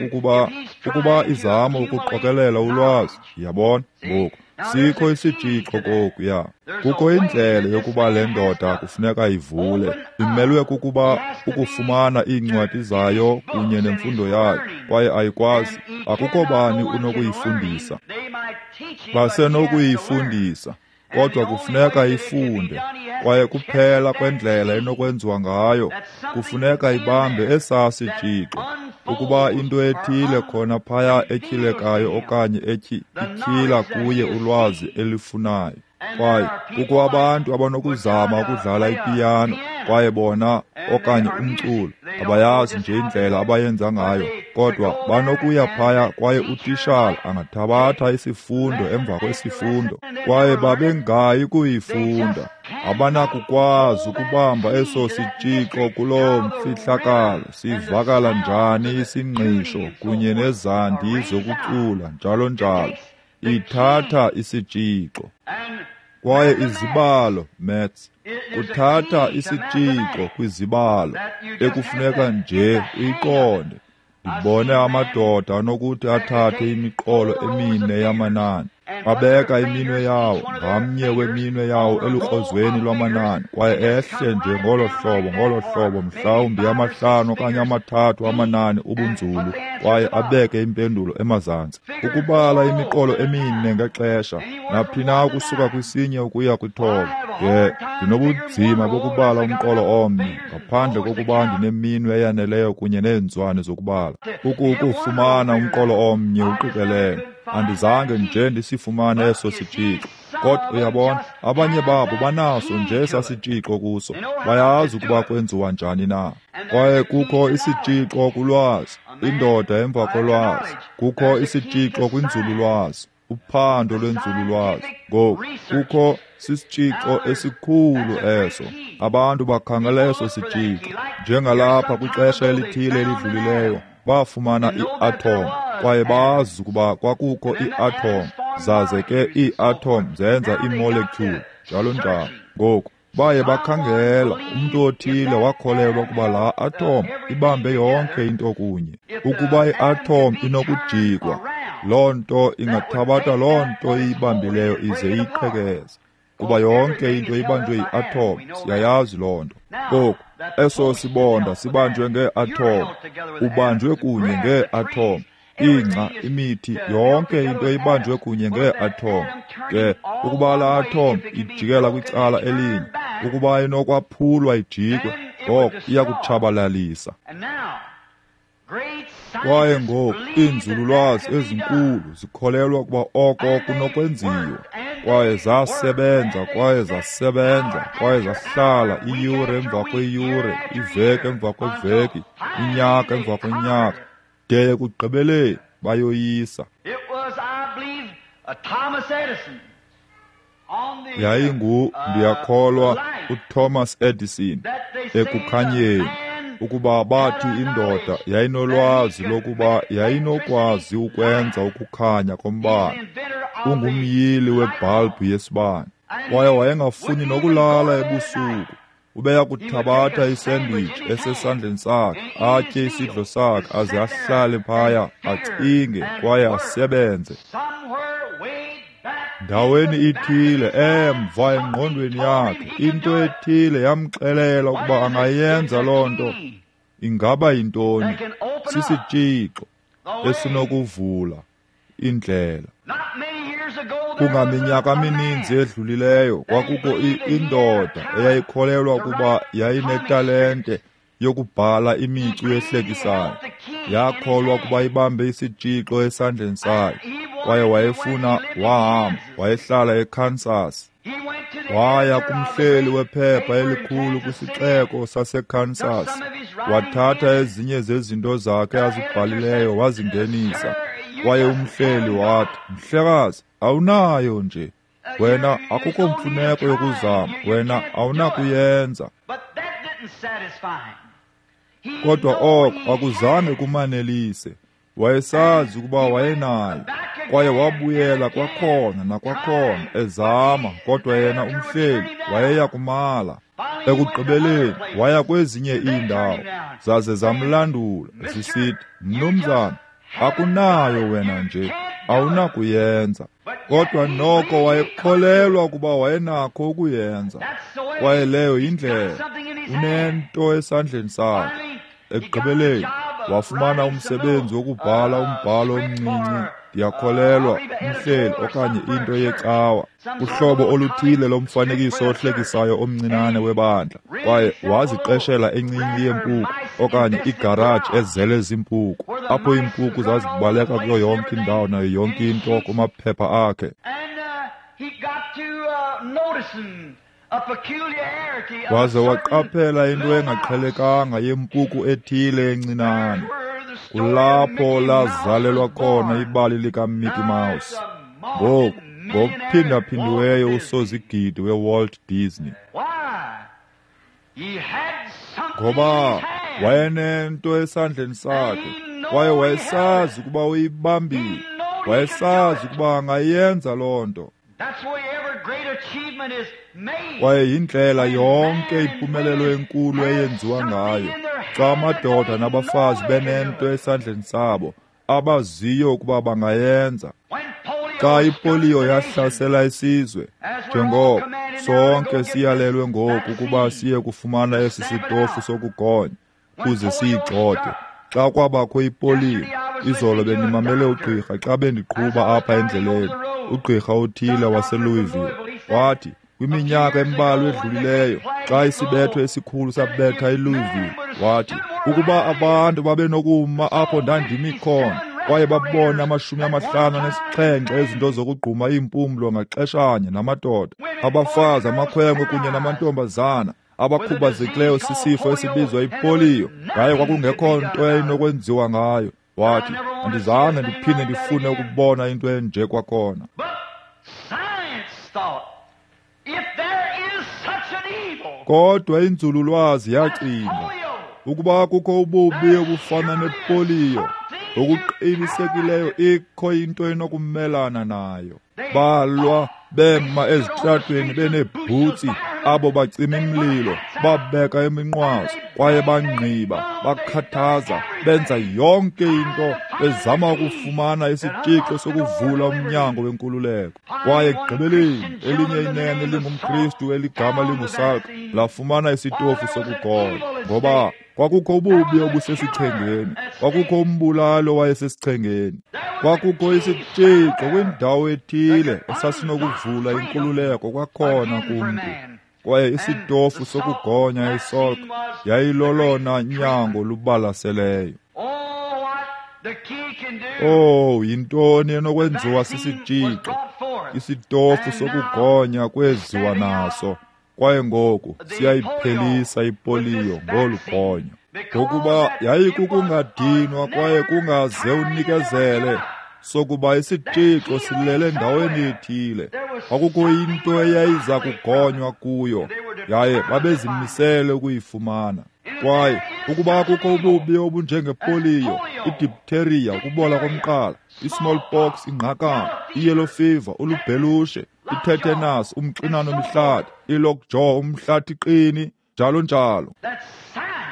kukuba izama ukuqokelela ulwazi. Yabona? Ngoku sikho isitshixo kokuya. Kukho indlela yokuba le ndoda kufuneka ivule. Imelwe kukuba ukufumana iincwadi zayo kunye nemfundo yayo, kwaye ayikwazi. Akukho bani unokuyifundisa. Basenokuyifundisa, kodwa kufuneka ifunde, kwaye kuphela kwendlela enokwenziwa ngayo, kufuneka ibambe esaa sitshixo. Ukuba into ethile khona phaya etyhilekayo okanye ityhila kuye ulwazi elifunayo. Kwaye kukho abantu abanokuzama ukudlala ipiyano, kwaye bona okanye umculo abayazi nje indlela abayenza ngayo, kodwa banokuya phaya kwaye utishala angathabatha isifundo emva kwesifundo, kwaye babengayi kuyifunda. Abanakukwazi ukubamba eso sitshixo kuloo mfihlakalo. Sivakala njani isingqisho kunye nezandi zokucula njalo njalo. Ithatha isitshixo. Kwaye izibalo, maths, kuthatha isitshixo kwizibalo ekufuneka nje uyiqonde. Ndibone amadoda anokuthi athathe imiqolo emine yamanani, abeka iminwe yawo, ngamnye weminwe yawo elukrozweni lwamanani, kwaye ehle nje ngolo hlobo, mhlawumbi 5 okanye 3 amanani ubunzulu, kwaye abeke impendulo emazantsi. Ukubala imiqolo emine ngexesha, naphi na ukusuka kwisinye ukuya kwithoba. Ke ndinobunzima bokubala umqolo omnye ngaphandle kokuba ndineminwe eyaneleyo kunye neenzwane zokubala. Ukufumana umqolo omnye uqikelele, andizange nje ndisifumane eso sitshixo. Kodwa uyabona, abanye babo banaso nje esasitshixo kuso, bayazi ukuba kwenziwa njani na. Kwaye kukho isitshixo kulwazi, indoda emva kolwazi. Kukho isitshixo kwinzululwazi, uphando lwenzululwazi. Ngoku kukho sisitshixo esikhulu eso. Abantu bakhangela eso sitshixo. Njengalapha kwixesha elithile elidlulileyo, bafumana i-atom, kwaye bazi ukuba kwakukho i-atom, zaze ke ii-atom zenza imolecule, njalo njalo. Ngoku baye bakhangela, umntu othile wakholelwa ukuba laa atom ibambe yonke into kunye. Ukuba i-atom inokujikwa, loo nto ingathabatha loo nto iyibambileyo ize iyiqhekeze. Kuba yonke into ibanjwe yi-atom, siyayazi loo nto. Ngoku, eso sibonda sibanjwe ngee-atom, ubanjwe kunye ngee-atom. Ingca, imithi, yonke into ibanjwe kunye ngee-atom. Ke ukuba laa atom ijikela kwicala elinye, ukuba inokwaphulwa ijikwe, ngoko iyakutshabalalisa. Kwaye ngoku iinzululwazi ezinkulu zikholelwa ukuba oko kunokwenziwa. Kwaye zasebenza, kwaye zasebenza, kwaye zahlala iyure emva kweyure, iveki emva kweveki, inyaka emva kwenyaka, de ekugqibeleni bayoyisa. Yayingu, ndiyakholwa, uThomas Edison ekukhanyeni, ukuba bathi indoda yayinolwazi lokuba yayinokwazi ukwenza ukukhanya kombane. Ungumyili webhalbhu yesibane, kwaye wayengafuni nokulala ebusuku. Ubeya kuthabatha isandwich esesandleni sakhe, atye isidlo sakhe, aze ahlale phaya, acinge kwaye asebenze. Ndaweni ithile emva engqondweni yakhe, into ethile yamxelela ukuba angayenza loo nto. Ingaba yintoni? Sisitshixo esinokuvula indlela. Kungaminyaka mininzi edlulileyo kwakukho indoda eyayikholelwa ukuba yayinetalente yokubhala imicu ehlekisayo. Yakholwa ukuba ibambe isitshixo esandleni sayo, kwaye wayefuna wahamba, wayehlala eKansas. Waya kumhleli wephepha elikhulu kwisixeko saseKansas, wathatha ezinye zezinto zakhe azibhalileyo wazingenisa. Kwaye umhleli wathi, "Mhlekazi, awunayo nje. Wena akukho mfuneko yokuzama, wena awunakuyenza." Kodwa oko akuzange kumanelise. Wayesazi ukuba wayenayo, kwaye wabuyela kwakhona nakwakhona ezama, kodwa yena umhleli wayeya kumala. Ekugqibeleni waya kwezinye iindawo, zaze zamlandula zisithi, "Mnumzana, akunayo wena nje, awunakuyenza." Kodwa noko wayekholelwa ukuba wayenakho ukuyenza, kwaye leyo yindlela. Unento esandleni sakhe. Ekugqibeleni wafumana umsebenzi wokubhala umbhalo omncinci, ndiyakholelwa umhleli okanye into yecawa, uhlobo oluthile lomfanekiso ohlekisayo omncinane webandla. Kwaye waziqeshela encinci yempuku okanye igaraji ezele ziimpuku, apho iimpuku zazibaleka kuyo yonke indawo nayo yonke into kumaphepha akhe. Waze waqaphela into engaqhelekanga yempuku ethile encinane. Kulapho lazalelwa khona ibali likaMickey Mouse. Ngoku, ngokuphindaphindiweyo usozigidi weWalt Disney. Ngoba wayenento esandleni sakhe, kwaye wayesazi ukuba uyibambile, wayesazi ukuba angayenza loo nto. Kwaye yindlela yonke impumelelo enkulu eyenziwa ngayo, xa amadoda nabafazi benento esandleni sabo abaziyo ukuba bangayenza. Xa ipoliyo yahlasela isizwe, njengoko sonke siyalelwe ngoku ukuba siye kufumana esi sitofu sokugonya ukuze siyigxothe. Xa kwabakho ipoliyo, izolo bendimamele ugqirha xa bendiqhuba apha endleleni, ugqirha othile waseLouisville wathi kwiminyaka embalwa edlulileyo, xa isibetho esikhulu sabetha iLouisville, wathi ukuba abantu babenokuma apho ndandimi khona kwaye babona 57 ezinto zokugquma iimpumlo ngaxeshanye namadoda, abafazi, amakhwenkwe kunye namantombazana abakhubazekileyo sisifo esibizwa ipoliyo, yaye kwakungekho nto eyayinokwenziwa ngayo. Wathi, andizange ndiphinde ndifune ukubona into enje kwakhona. Kodwa inzululwazi yacinga ukuba kukho ububi obufana nepoliyo, ngokuqinisekileyo ikho into enokumelana nayo. Balwa bema ezitratweni beneebhutsi Abo bacima imililo babeka iminqwazi kwaye bangqiba, bakhathaza, benza yonke into bezama ukufumana isitshixo sokuvula umnyango wenkululeko. Kwaye ekugqibeleni elinye inene lingumKristu eligama linguSalk lafumana isitofu sokugonya, ngoba kwakukho ububi obusesichengeni, kwakukho umbulali owayesesichengeni, kwakukho isitshixo kwindawo ethile esasinokuvula inkululeko kwakhona kumntu. Kwaye isitofu sokugonya iSalk yayilolona nyango lubalaseleyo. Oh, yintoni enokwenziwa sisitshixo? Isitofu sokugonya kweziwa naso. Kwaye ngoku siyayiphelisa ipoliyo ngolu gonyo, ngokuba yayikukungadinwa kwaye kungaze unikezele sokuba isitshixo silele endaweni ethile. Kwakukho into eyayiza kugonywa kuyo, yaye babezimisele ukuyifumana. Kwaye ukuba kukho ububi obunjengepoliyo, idiphtheria, ukubola komqala, i-smallpox, ingqakana, i-yellow fever, ulubhelushe, itetanus, umxinano mihlathi, i-lockjaw, umhlathi qini, njalo njalo.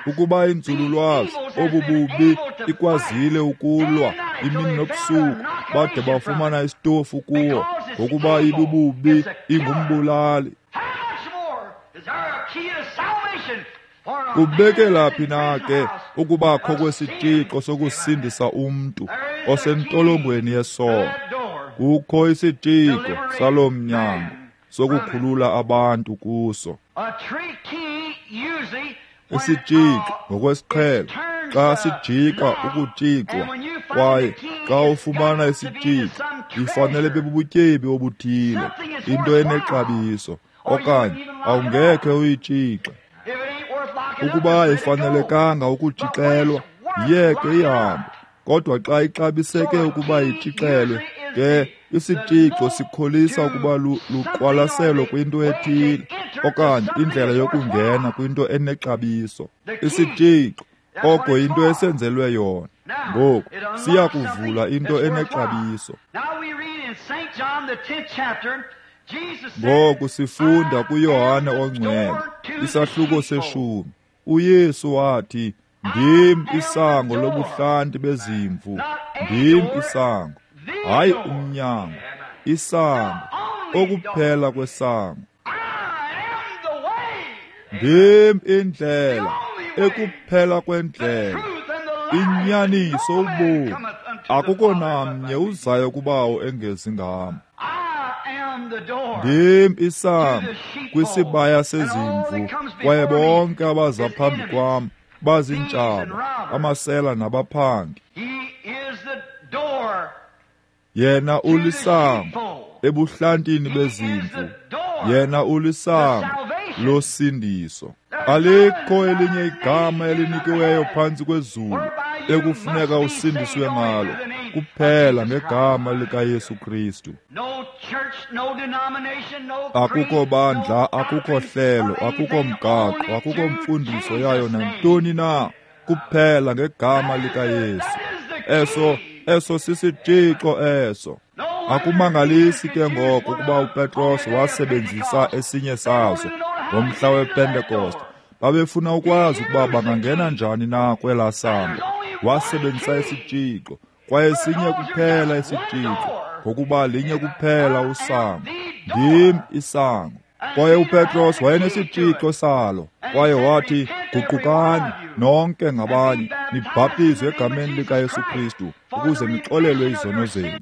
Ukuba inzululwazi obu bubi ikwazile ukulwa imini nobusuku bade bafumana isitofu kuwo, ngokuba ibububi ingumbulali. Kubekela phi na ke ukubakho kwesitshixo sokusindisa umntu osentolongweni yesono? Kukho isitshixo saloo mnyango sokukhulula abantu kuso. Isitshixo ngokwesiqhelo xa sijika ukutshixwa, kwaye xa ufumana isitshixo ifanele bebubutyebi obuthile, into enexabiso, okanye awungekhe uyitshixe. Ukuba ayifanelekanga ukutshixelwa, yiyeke ihambe. Kodwa xa ixabiseke ukuba itshixelwe, ke isitshixo sikholisa ukuba luqwalaselo kwinto ethile okanye indlela yokungena kwinto enexabiso. Isitshixo oko yinto esenzelwe yona. Ngoku siya kuvula into enexabiso. Ngoku sifunda kuYohane oNgcwele, isahluko 10. uYesu wathi, "Ndim isango lobuhlanti bezimvu, ndim isango." Hayi umnyango, isango, okuphela kwesango. Ndim indlela, ekuphela kwendlela, inyaniso, ubomi. Akukho namnye uzayo kubawo engezi ngam. Ndim isango kwisibaya sezimvu, kwaye bonke abaza phambi kwam bazintshaba, amasela nabaphangi. Yena ulisango ebuhlantini bezimvu, yena ulisango losindiso. Alikho elinye igama elinikiweyo phantsi kwezulu ekufuneka usindiswe ngalo, kuphela ngegama likaYesu Kristu. Akukho bandla, akukho hlelo, akukho mgaqo, akukho mfundiso yayo nantoni na, kuphela ngegama likaYesu. Eso sisitshixo eso. Akumangalisi ke ngoko ukuba uPetros wasebenzisa esinye sazo ngomhla wePentekoste. Babefuna ukwazi ukuba bangangena njani na kwelaa sango. Wasebenzisa isitshixo, kwaye sinye kuphela isitshixo, ngokuba linye kuphela usango. Ndim isango. Kwaye uPetros wayenesitshixo salo, kwaye wathi, "Guqukani nonke ngabanye, nibhaptizwe egameni likaYesu Kristu ukuze nixolelwe izono zenu,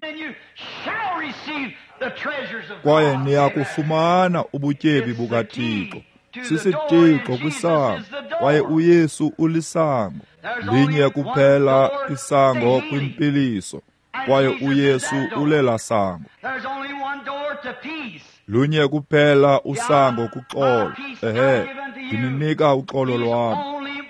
kwaye niyakufumana ubutyebi bukaThixo." Sisitshixo kwisango, kwaye uYesu ulisango. Linye kuphela isango kwimpiliso, kwaye uYesu ulela sango. Lunye kuphela usango kuxolo. Ehe, ndininika uxolo lwam.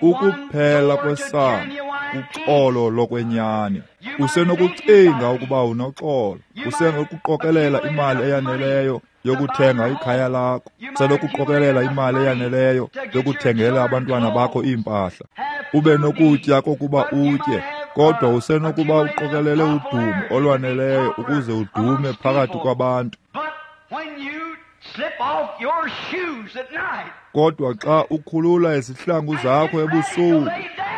Ukuphela kwesango kuxolo lokwenyani. Usenokucinga ukuba unoxolo, usenokuqokelela imali eyaneleyo yokuthenga ikhaya lakho, usenokuqokelela imali eyaneleyo yokuthengela abantwana bakho iimpahla, ube nokutya kokuba utye, kodwa usenokuba uqokelele udumo olwaneleyo ukuze udume phakathi kwabantu. Kodwa xa ukhulula izihlangu zakho ebusuku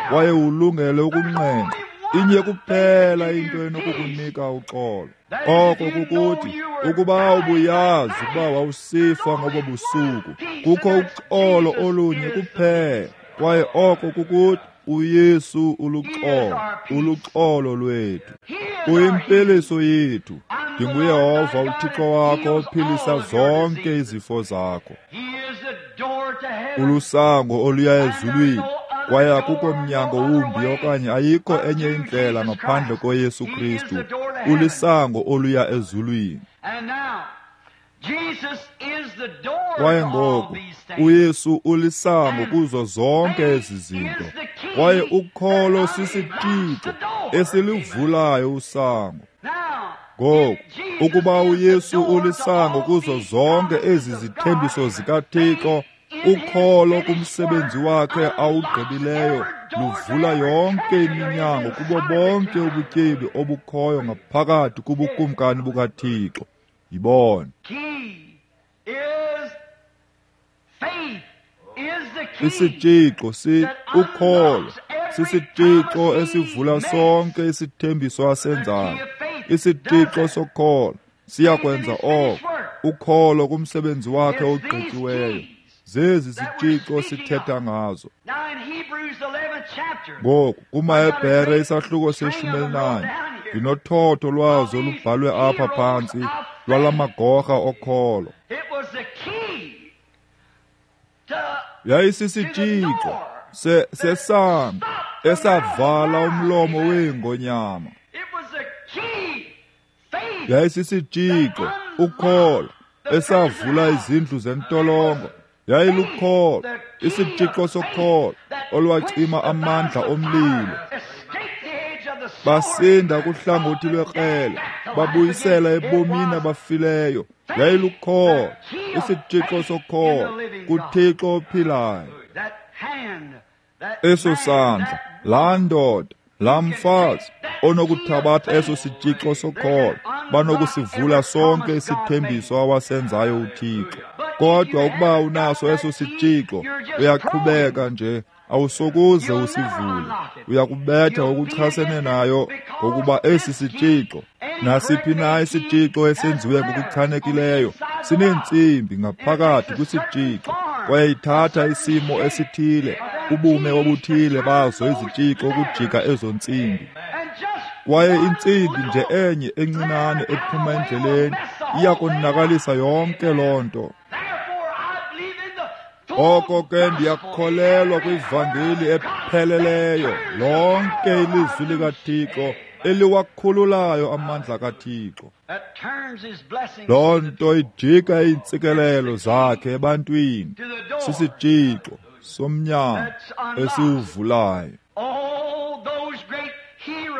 kwaye ulungele ukunqenqa, inye kuphela into enokukunika uxolo. Oko kukuthi ukuba ubuyazi ukuba wawusifa ngobo busuku, kukho uxolo olunye kuphela, kwaye oko kukuthi uYesu uluxolo, uluxolo lwethu. Uyimpiliso yethu. NdinguYehova uThixo wakho ophilisa zonke izifo zakho. Ulusango oluya ezulwini, kwaye akukho mnyango wumbi okanye ayikho enye indlela ngaphandle koYesu Kristu. Ulisango oluya ezulwini. Kwaye ngoku uYesu ulisango kuzo zonke ezi zinto, kwaye ukholo sisitshixo esilivulayo usango. Ngoku ukuba uYesu ulisango kuzo zonke ezi zithembiso zikaThixo, ukholo kumsebenzi wakhe awugqibileyo luvula yonke iminyango kubo bonke ubutyebi obukhoyo ngaphakathi kubukumkani bukaThixo. Yibona. Isitshixo ukholo sisitshixo esivula sonke isithembiso asenzayo. Isitshixo sokholo siyakwenza oko. Ukholo kumsebenzi wakhe ogqityiweyo. Zezi zitshixo sithetha ngazo. Ngoku kumaHebhere isahluko se-14, ndinothotho lwazo olubhalwe apha phantsi lwalamagorha okholo. Yayisisitshixo sesango esavala umlomo weengonyama. Yayisisitshixo ukholo esavula izindlu zentolongo. Yayilukholo, isitshixo sokholo olwacima amandla omlilo. Basinda kuhlangothi lwekrele, babuyisela ebomini abafileyo. Yayilukholo, isitshixo sokholo kuThixo ophilayo. Eso sandla, laa ndoda, laa mfazi onokuthabatha eso sitshixo sokholo, banokusivula sonke isithembiso awasenzayo uThixo. Kodwa ukuba unaso eso sitshixo, uyaqhubeka nje, awusokuze usivule. Uyakubetha ngokuchasene nayo, ngokuba esi sitshixo, nasiphi na isitshixo esenziwe ngokuchanekileyo, sineentsimbi ngaphakathi kwisitshixo, kwaye ithatha isimo esithile, ubume obuthile bazo izitshixo ukujika ezo ntsimbi. Kwaye intsimbi nje enye encinane ephuma endleleni iyakonakalisa yonke loo nto. Oko ke ndiyakholelwa kwivangeli epheleleyo, lonke ilizwi likaThixo eliwakhululayo amandla kaThixo. Loo nto ijika iintsikelelo zakhe ebantwini. Sisitshixo somnyango esiwuvulayo.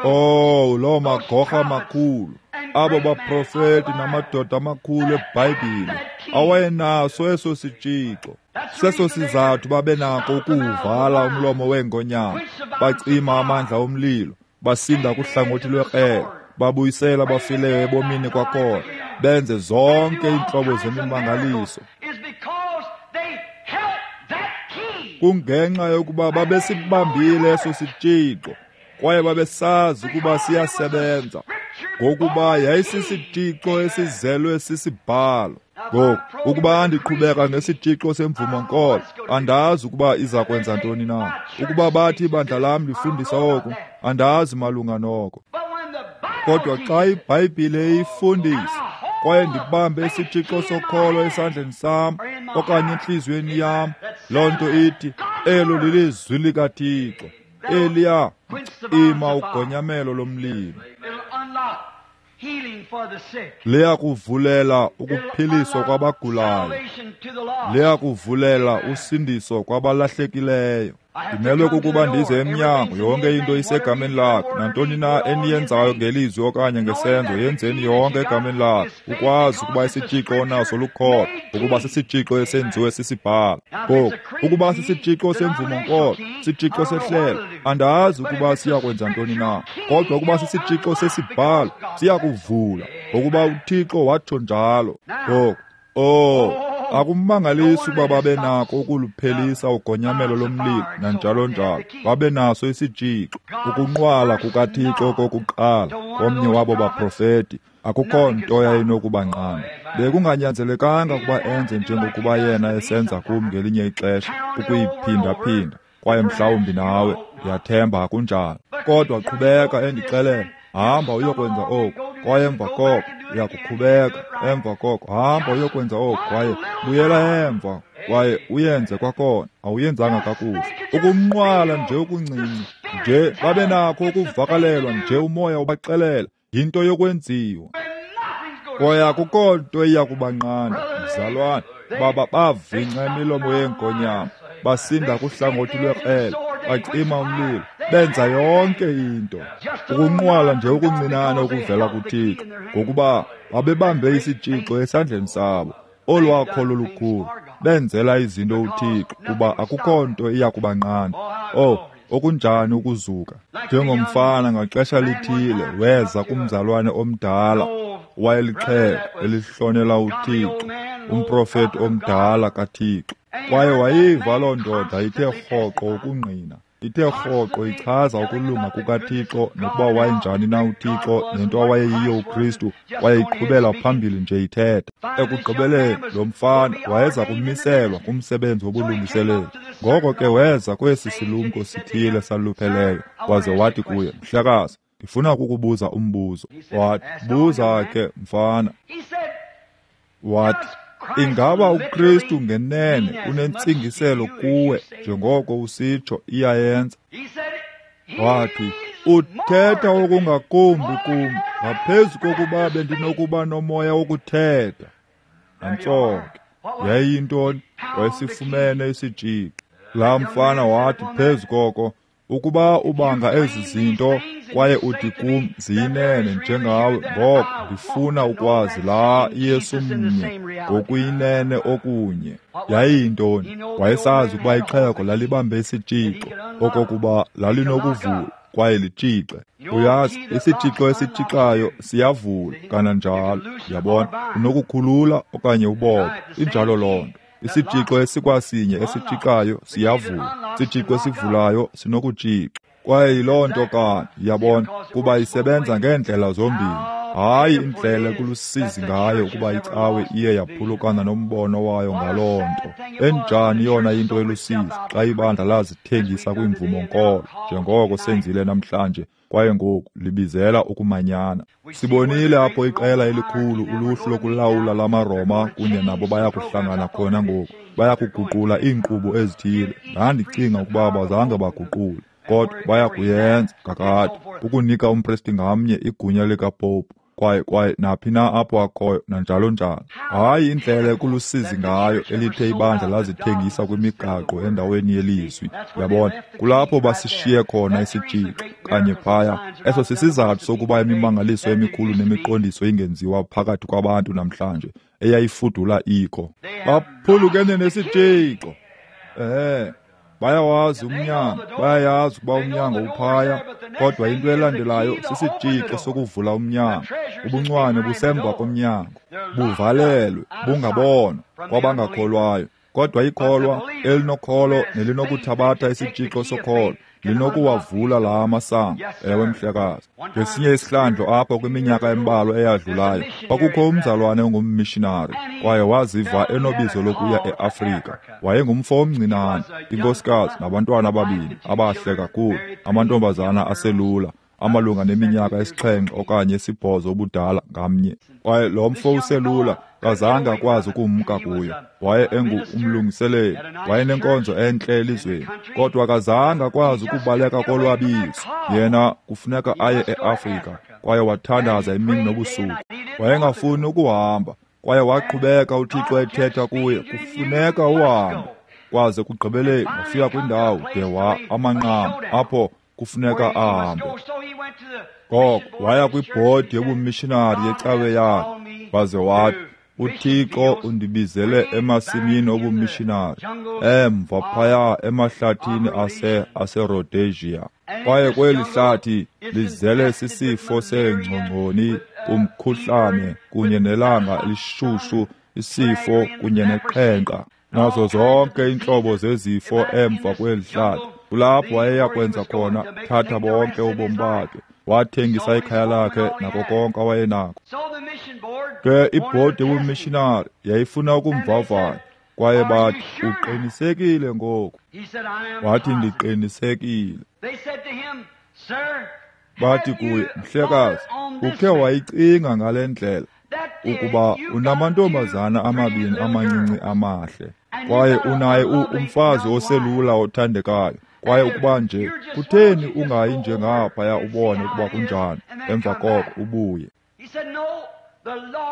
Oh, loo magorha makhulu, abo baprofeti namadoda amakhulu eBhayibhile awayenaso eso sitshixo. Seso sizathu babenako ukuwuvala umlomo weengonyama, bacima amandla omlilo, basinda kuhlangothi lwekrele, babuyisela abafileyo ebomini kwakhona, benze zonke iintlobo zemimangaliso. Kungenxa yokuba babesibambile eso sitshixo, kwaye babesazi ukuba siyasebenza, ngokuba yayisisitshixo esizelwe sisibhalo. Ngoku ukuba ndiqhubeka ngesitshixo semvumo-nkolo, andazi ukuba iza kwenza ntoni na. Ukuba bathi ibandla lam lifundisa oku, andazi malunga noko. Kodwa xa iBhayibhile iyifundisa, kwaye ndibambe isitshixo sokholo esandleni sam okanye entliziyweni yam, loo nto ithi elo lilizwi likaThixo. Eliya ima ugonyamelo lomlilo. Liyakuvulela ukuphiliswa kwabagulayo. Liyakuvulela usindiso kwabalahlekileyo. Ndimelwe kukuba ndize emnyango, yonke into isegameni lakhe. Nantoni na eniyenzayo ngelizwi okanye ngesenzo, yenzeni yonke egameni lakhe. Ukwazi ukuba isitshixo onaso lukholo, ukuba sisitshixo esenziwe sisibhalo. Ngoku, ukuba sisitshixo semvumo-nkolo, sitshixo sehlelo, andazi ukuba siyakwenza ntoni na. Kodwa ukuba sisitshixo sesibhalo, siyakuvula, ngokuba uThixo watsho njalo. Ngoku, Oh, akumangalisi ukuba babe nako ukuluphelisa ugonyamelo lomlilo nanjalo njalo. Babe naso isitshixo, ukunqwala kukaThixo kokuqala komnye wabo baprofeti. Akukho nto yayinokubanqanda. Bekunganyanzelekanga ukuba enze njengokuba yena esenza kum ngelinye ixesha, ukuyiphinda-phinda. Kwaye mhlawumbi nawe, ndiyathemba akunjalo. Kodwa qhubeka endixelela, hamba uyokwenza oku, kwaye emva koko uyakuqhubeka, emva koko hamba uyokwenza oku, kwaye buyela emva, kwaye uyenze kwakhona, awuyenzanga kakuhle. Ukumnqwala nje okuncinci, nje babe nakho ukuvakalelwa nje umoya ubaxelela, yinto yokwenziwa. Kwaye akukho nto iya kubanqanda, mzalwane, baba bavingca imilomo yeengonyama, basinda kuhlangothi lwekrele, bacima umlilo, benza yonke into. Ukunqwala nje okuncinane okuvela kuThixo, ngokuba babebambe isitshixo esandleni sabo, olwakholo lukhulu, benzela izinto uThixo, kuba akukho nto iya kubanqanda. Oh, okunjani ukuzuka. Njengomfana ngaxesha lithile weza kumzalwane omdala wayelixhego elihlonela uThixo, umprofeti omdala kaThixo. Kwaye wayiva loo ndoda ithe rhoqo ukungqina, ithe rhoqo ichaza ukulunga kukaThixo nokuba wayenjani na uThixo nento awayeyiyo uKristu, kwaye iqhubela phambili nje ithetha. Ekugqibeleni lo mfana wayeza kumiselwa kumsebenzi wobulungiseleli. Ngoko ke weza kwesi silumko sithile salupheleyo, waze wathi kuye, mhlekazi, ndifuna ukukubuza umbuzo. Wathi, buza ke mfana. Wathi, ingaba uKristu ngenene unentsingiselo kuwe njengoko usitsho iyayenza? Wathi, uthetha okungakumbi kum ngaphezu kokuba bendinokuba nomoya wokuthetha. Nantso ke, yayiyintoni? Wayesifumene isitshixo. Laa mfana wathi phezu koko, ukuba ubanga ezi zinto kwaye uthi kum ziyinene njengawe, ngoko ndifuna ukwazi laa Yesu mnye ngokuyinene okunye. Yayiyintoni? Wayesazi ukuba ixhego lalibambe isitshixo, okokuba lalinokuvula kwaye litshixe. Uyazi, isitshixo esitshixayo siyavula kananjalo. Uyabona, unokukhulula okanye ubophe. Injalo loo nto. Isitshixo esikwasinye esitshixayo siyavula, isitshixo esivulayo sinokutshixa. Kwaye yiloo nto kanye, uyabona, kuba isebenza ngeendlela zombini. Hayi indlela ekulusizi ngayo ukuba icawe iye yaphulukana nombono wayo ngaloo nto. Enjani yona into elusizi xa ibandla lazithengisa kwimvumo-nkolo, njengoko senzile namhlanje, kwaye ngoku libizela ukumanyana. Sibonile apho iqela elikhulu uluhlu lokulawula lamaRoma kunye nabo bayakuhlangana khona ngoku, bayakuguqula iinkqubo ezithile. Ndandicinga ukuba abazange baguqule, kodwa bayakuyenza kakade, ukunika umpristi ngamnye igunya likapopu, kwaye naphi na apho akhoyo nanjalo njalo. Hayi indlela ekulusizi ngayo elithe ibandla lazithengisa kwimigaqo endaweni yelizwi. Uyabona, kulapho basishiye khona isitshixo kanye phaya. Eso sisizathu sokuba imimangaliso emikhulu nemiqondiso ingenziwa phakathi kwabantu namhlanje, eyayifudula ikho. Baphulukene nesitshixo. Bayawazi umnyango, bayayazi ukuba umnyango uphaya, kodwa into elandelayo sisitshixo sokuvula umnyango. Ubuncwane busemva komnyango, buvalelwe, bungabonwa kwabangakholwayo. Kodwa ikholwa elinokholo nelinokuthabatha isitshixo sokholo linokuwavula la masango. Ewe mhlekazi. Ngesinye isihlandlo apho kwiminyaka embalwa eyadlulayo, kwakukho umzalwane ongummishinari, kwaye waziva enobizo lokuya eAfrika. Wayengumfo omncinane, inkosikazi nabantwana ababini abahle kakhulu, amantombazana aselula, amalunga neminyaka 7 okanye 8 ubudala ngamnye. Kwaye lo mfo uselula kazange akwazi ukumka kuyo. Waye engumlungiseleli, wayenenkonzo entle elizweni, kodwa akazange akwazi ukubaleka kolwabizo. Yena kufuneka aye eAfrika, kwaye wathandaza imini nobusuku. Wayengafuni ukuhamba, kwaye waqhubeka uThixo ethetha kuye, kufuneka uhambe. Kwaze kugqibeleni wafika kwindawo de wa amanqam apho kufuneka ahambe. Ngoko waya kwibhodi yobumishinari yecawe yakhe, waze wathi, uThixo undibizele emasimini obumishinari, emva phaya emahlathini aseRhodesia. Kwaye kweli hlathi lizele sisifo seengcongconi, umkhuhlane kunye nelanga elishushu isifo kunye neqhenqa, nazo zonke iintlobo zezifo emva kweli hlathi. Kulapho wayeya kwenza khona, thatha bonke ubomi bakhe. Wathengisa ikhaya lakhe nako konke awayenako. Ke ibhodi yobumishinari yayifuna ukumvavanya, kwaye bathi, uqinisekile ngoku? Wathi, ndiqinisekile. Bathi kuye, mhlekazi, ukhe wayicinga ngale ndlela ukuba unamantombazana amabini amancinci amahle, kwaye unaye umfazi oselula othandekayo, kwaye ukuba nje kutheni ungayi nje ngaphaya ubone ukuba kunjani, emva koko ubuye.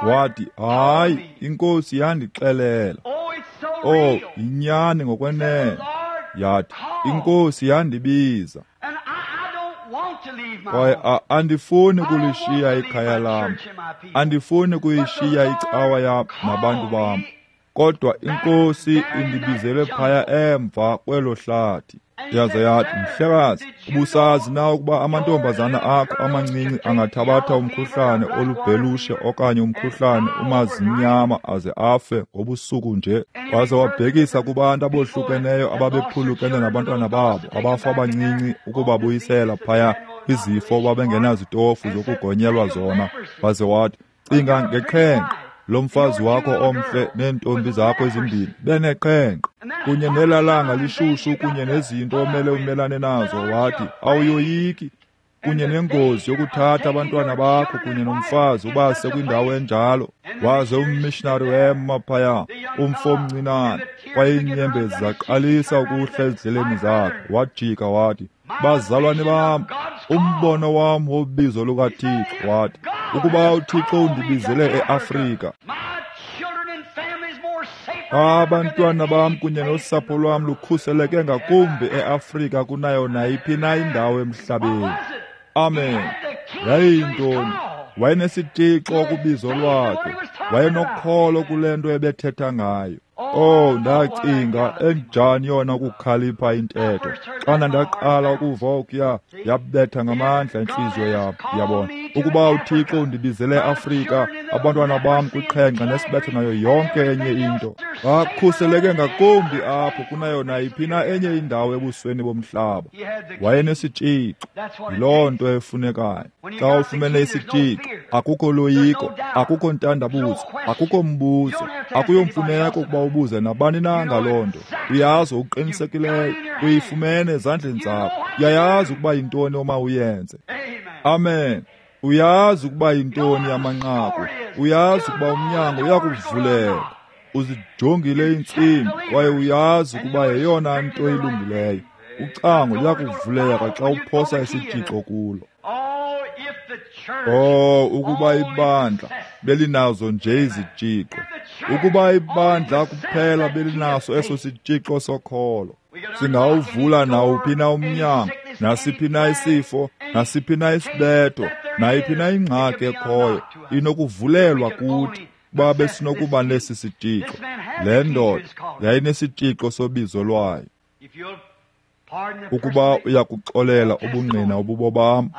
Wathi, hayi, iNkosi yandixelela. Oh, yinyani ngokwenene. Yathi, iNkosi yandibiza. Kwaye andifuni kulishiya ikhaya lam, andifuni kuyishiya icawa yam nabantu bam, kodwa iNkosi indibizele phaya emva kwelo hlathi. Yaze yathi, mhlekazi, ubusazi na ukuba amantombazana akho amancinci angathabatha umkhuhlane olubhelushe okanye umkhuhlane umazinyama aze afe ngobusuku nje? Waze wabhekisa kubantu abohlukeneyo ababephulukene nabantwana babo abafa abancinci ukubabuyisela phaya kwizifo babengenazitofu zokugonyelwa zona. Waze wathi, cinga ngeqhenqa lo mfazi wakho omhle neentombi zakho ezimbini beneqhenqa kunye nelalanga lishushu kunye nezinto omele umelane nazo. Wathi, awuyoyiki kunye nengozi yokuthatha abantwana bakho kunye nomfazi ubase kwindawo enjalo. Waze ummishinari wema phaya, umfo omncinane, kwaye iinyembezi zaqalisa ukuhla ezidleleni zakhe. Wajika wathi, bazalwane bam, umbono wam wobizo lukaThixo, wathi, ukuba uThixo undibizele eAfrika, abantwana bam kunye nosapho lwam lukhuseleke ngakumbi eAfrika kunayo nayiphi na indawo emhlabeni. Amen. Yayiyintoni? Wayenesitixo kubizo lwakhe, wayenokholo kule nto ebethetha ngayo. Oh, ndacinga enjani yona ukukhalipha intetho. Xana ndaqala ukuva okuya, yabetha ngamandla intliziyo yam. Yabona, ukuba uThixo undibizele eAfrika, abantwana bam kwiqhenqa nesibetho nayo yonke enye into, bakhuseleke ngakumbi apho kunayo nayiphi na enye indawo ebusweni bomhlaba. Wayenesitshixo. Yiloo nto efunekayo. Xa ufumene isitshixo, akukho loyiko, akukho ntandabuzo, akukho mbuzo, akuyomfuneko ukuba ubuze nabani na ngaloo nto. Uyazi okuqinisekileyo, uyifumene ezandleni zakho. Uyayazi ukuba yintoni oma uyenze. Amen. Uyazi ukuba yintoni amanqaku. Uyazi ukuba umnyango uyakuvuleka. Uzijongile iintsimbi kwaye uyazi ukuba yeyona nto ilungileyo. Ucango luyakuvuleka xa uphosa isitshixo kulo. Oh, ukuba ibandla belinazo nje izitshixo. Ukuba ibandla kuphela belinaso eso sitshixo sokholo, singawuvula nawuphi na umnyango, nasiphi na isifo, nasiphi na isibetho, nayiphi na ingxaki ekhoyo inokuvulelwa kuthi kuba besinokuba nesi sitshixo. Le ndoda yayinesitshixo sobizo lwayo. Ukuba uyakuxolela ubungqina obubobam,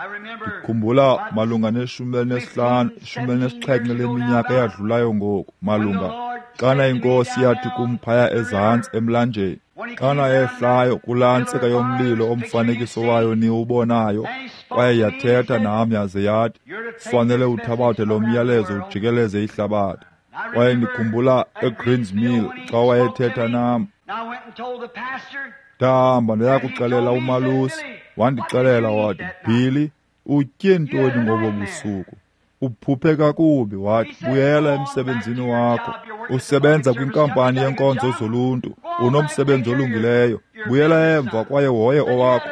ndikhumbula malunga ne-15, 17 leminyaka eyadlulayo ngoku, malunga xana iNkosi yathi kum phaya ezantsi emlanjeni, xana yehlayo kulaa ntsika yomlilo omfanekiso wayo niwubonayo, kwaye yathetha nam yaze yathi, fanele uthabathe lo myalezo ujikeleze ihlabathi. Kwaye ndikhumbula eGreens Mill xa wayethetha nam. Ndahamba ndayakuxelela umalusi, wandixelela wathi, Billy, utye ntoni ngobo busuku? Uphuphe kakubi. Wathi, buyela emsebenzini wakho, usebenza kwinkampani yenkonzo zoluntu, unomsebenzi olungileyo, buyela emva kwaye hoye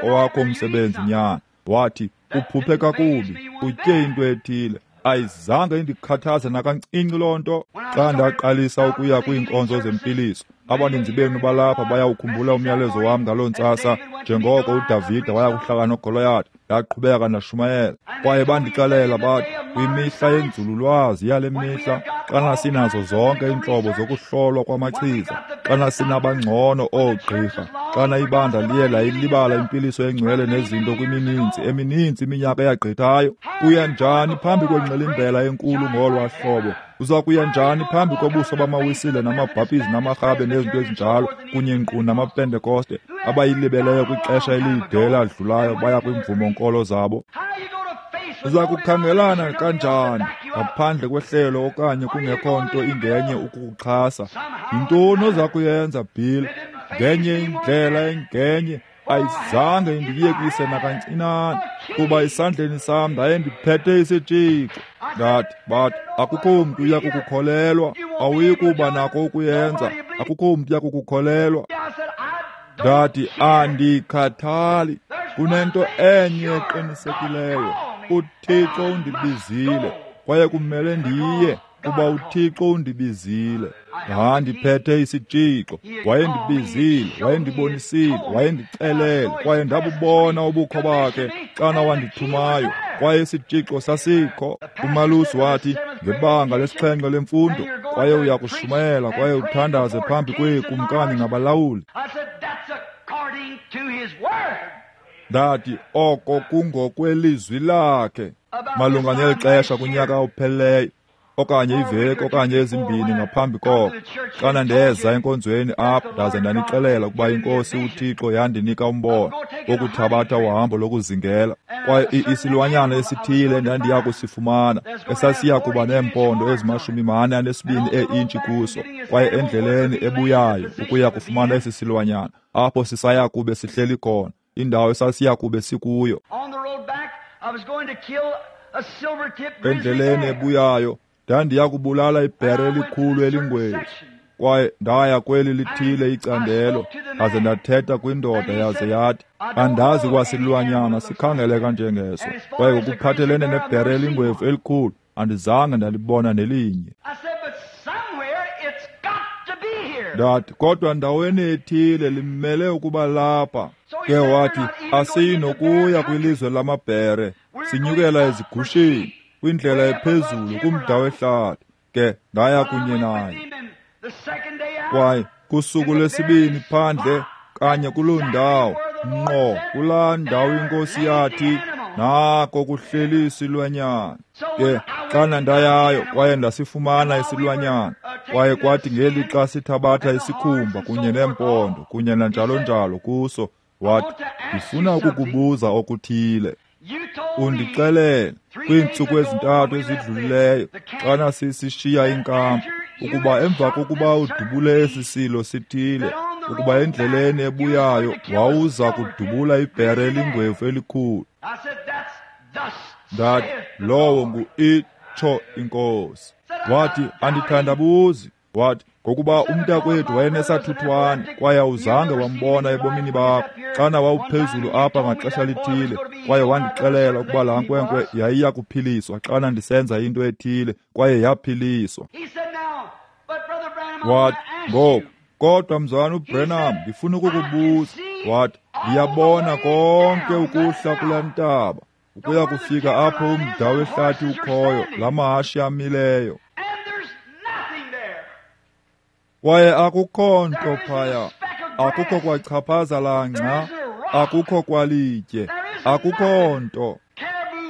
owakho umsebenzi nyana. Wathi, uphuphe kakubi, utye into ethile. Ayizange indikhathaze nakancinci loo nto. Xa ndaqalisa ukuya kwiinkonzo zempiliso, abaninzi benu balapha bayawukhumbula umyalezo wam ngaloo ntsasa, njengoko uDavide waya kuhlala noGoliyathi. Ndaqhubeka ndashumayela, kwaye bandixelela bathi, kwimihla yenzululwazi yale mihla, Xana sinazo zonke iintlobo zokuhlolwa kwamachiza, xana sinabangcono oogqirha, xana ibandla liye layilibala impiliso engcwele nezinto kwimininzi emininzi iminyaka eyagqithayo, uya njani phambi kwengxilimbela enkulu ngolwa hlobo? Uza kuya njani phambi kobuso bamaWisile namabhaptizi namarhabe nezinto ezinjalo kunye nkqu namaPentekoste abayilibeleyo kwixesha elide eladlulayo baya kwiimvumo-nkolo zabo? Uza kukhangelana kanjani ngaphandle kwehlelo okanye kungekho nto ingenye ukukuxhasa? Yintoni oza kuyenza, Bill? Ngenye indlela engenye ayizange indiyekise nakancinane, kuba esandleni sam ndaye ndiphethe isitshixo. Ndathi, bathi, akukho mntu uya kukukholelwa, awuyi kuba nako ukuyenza, akukho mntu uya kukukholelwa. Ndathi, andikhathali, kunento enye eqinisekileyo, uThixo undibizile, kwaye kumele ndiye, kuba uThixo undibizile. Ndandiphethe isitshixo, wayendibizile, wayendibonisile, wayendicelele, kwaye ndabubona ubukho bakhe xana wandithumayo, kwaye isitshixo sasikho. Umalusi wathi, ngebanga lesixhenxe lemfundo, kwaye uya kushumayela kwaye uthandaze phambi kweekumkani nabalawuli. Ndathi, oko kungokwelizwi lakhe. Malunga neli xesha kunyaka ophelileyo, okanye iveki okanye ezimbini ngaphambi koko, xana ndeza enkonzweni apha ndaze ndanixelela ukuba iNkosi uThixo yandinika umbono wokuthabatha uhambo lokuzingela, kwaye isilwanyana esithile endandiya kusifumana esasiya kuba neempondo ezi-42 ee-intshi kuso, kwaye endleleni ebuyayo ukuya kufumana esi silwanyana apho sisaya kube sihleli khona, indawo esasiya kube sikuyo. Endleleni ebuyayo ndandiya kubulala ibhere elikhulu elingwevu, kwaye ndaya kweli lithile icandelo, ndaze ndathetha kwindoda, yaze yathi, andazi kwasilwanyana sikhangeleka njengeso, kwaye ngokuphathelene nebhere elingwevu elikhulu andizange ndalibona nelinye. Ndathi, kodwa ndaweni ethile limele ukuba lapha. Ke wathi, asiyinokuya kwilizwe lamabhere, sinyukela ezigusheni kwindlela ephezulu kumda wehlathi. Ke ndaya kunye naye, kwaye kusuku lwesibini phandle kanye kuloo ndawo, ngqo kulaa ndawo iNkosi yathi, nako kuhleli isilwanyana. Ke xana ndayayo kwaye ndasifumana isilwanyana, kwaye kwathi ngelixa sithabatha isikhumba kunye neempondo kunye nanjalo njalo kuso, wathi, ndifuna ukukubuza okuthile. Undixelele kwiintsuku ezintathu ezidlulileyo xana sisishiya inkampu, ukuba emva kokuba udubule esi silo sithile, ukuba endleleni ebuyayo wawuza kudubula ibhere elingwevu elikhulu. Ndathi, lowo ngu-itsho iNkosi. Wathi, andithandabuzi. Wathi, ngokuba umntakwethu wayenesathuthwane kwaye awuzange wambona ebomini bakho xana wawuphezulu apha ngaxesha lithile, kwaye wandixelela ukuba laa nkwenkwe yayiya kuphiliswa xana ndisenza into ethile, kwaye yaphiliswa. Wathi, ngoku, kodwa mzalwana uBranham, ndifuna ukukubuza. Wathi, ndiyabona konke ukuhla kulaa ntaba ukuya kufika apho umda wehlathi ukhoyo, la mahashi amileyo, kwaye akukho nto phaya, akukho kwachaphaza langca, akukho kwalitye, akukho nto.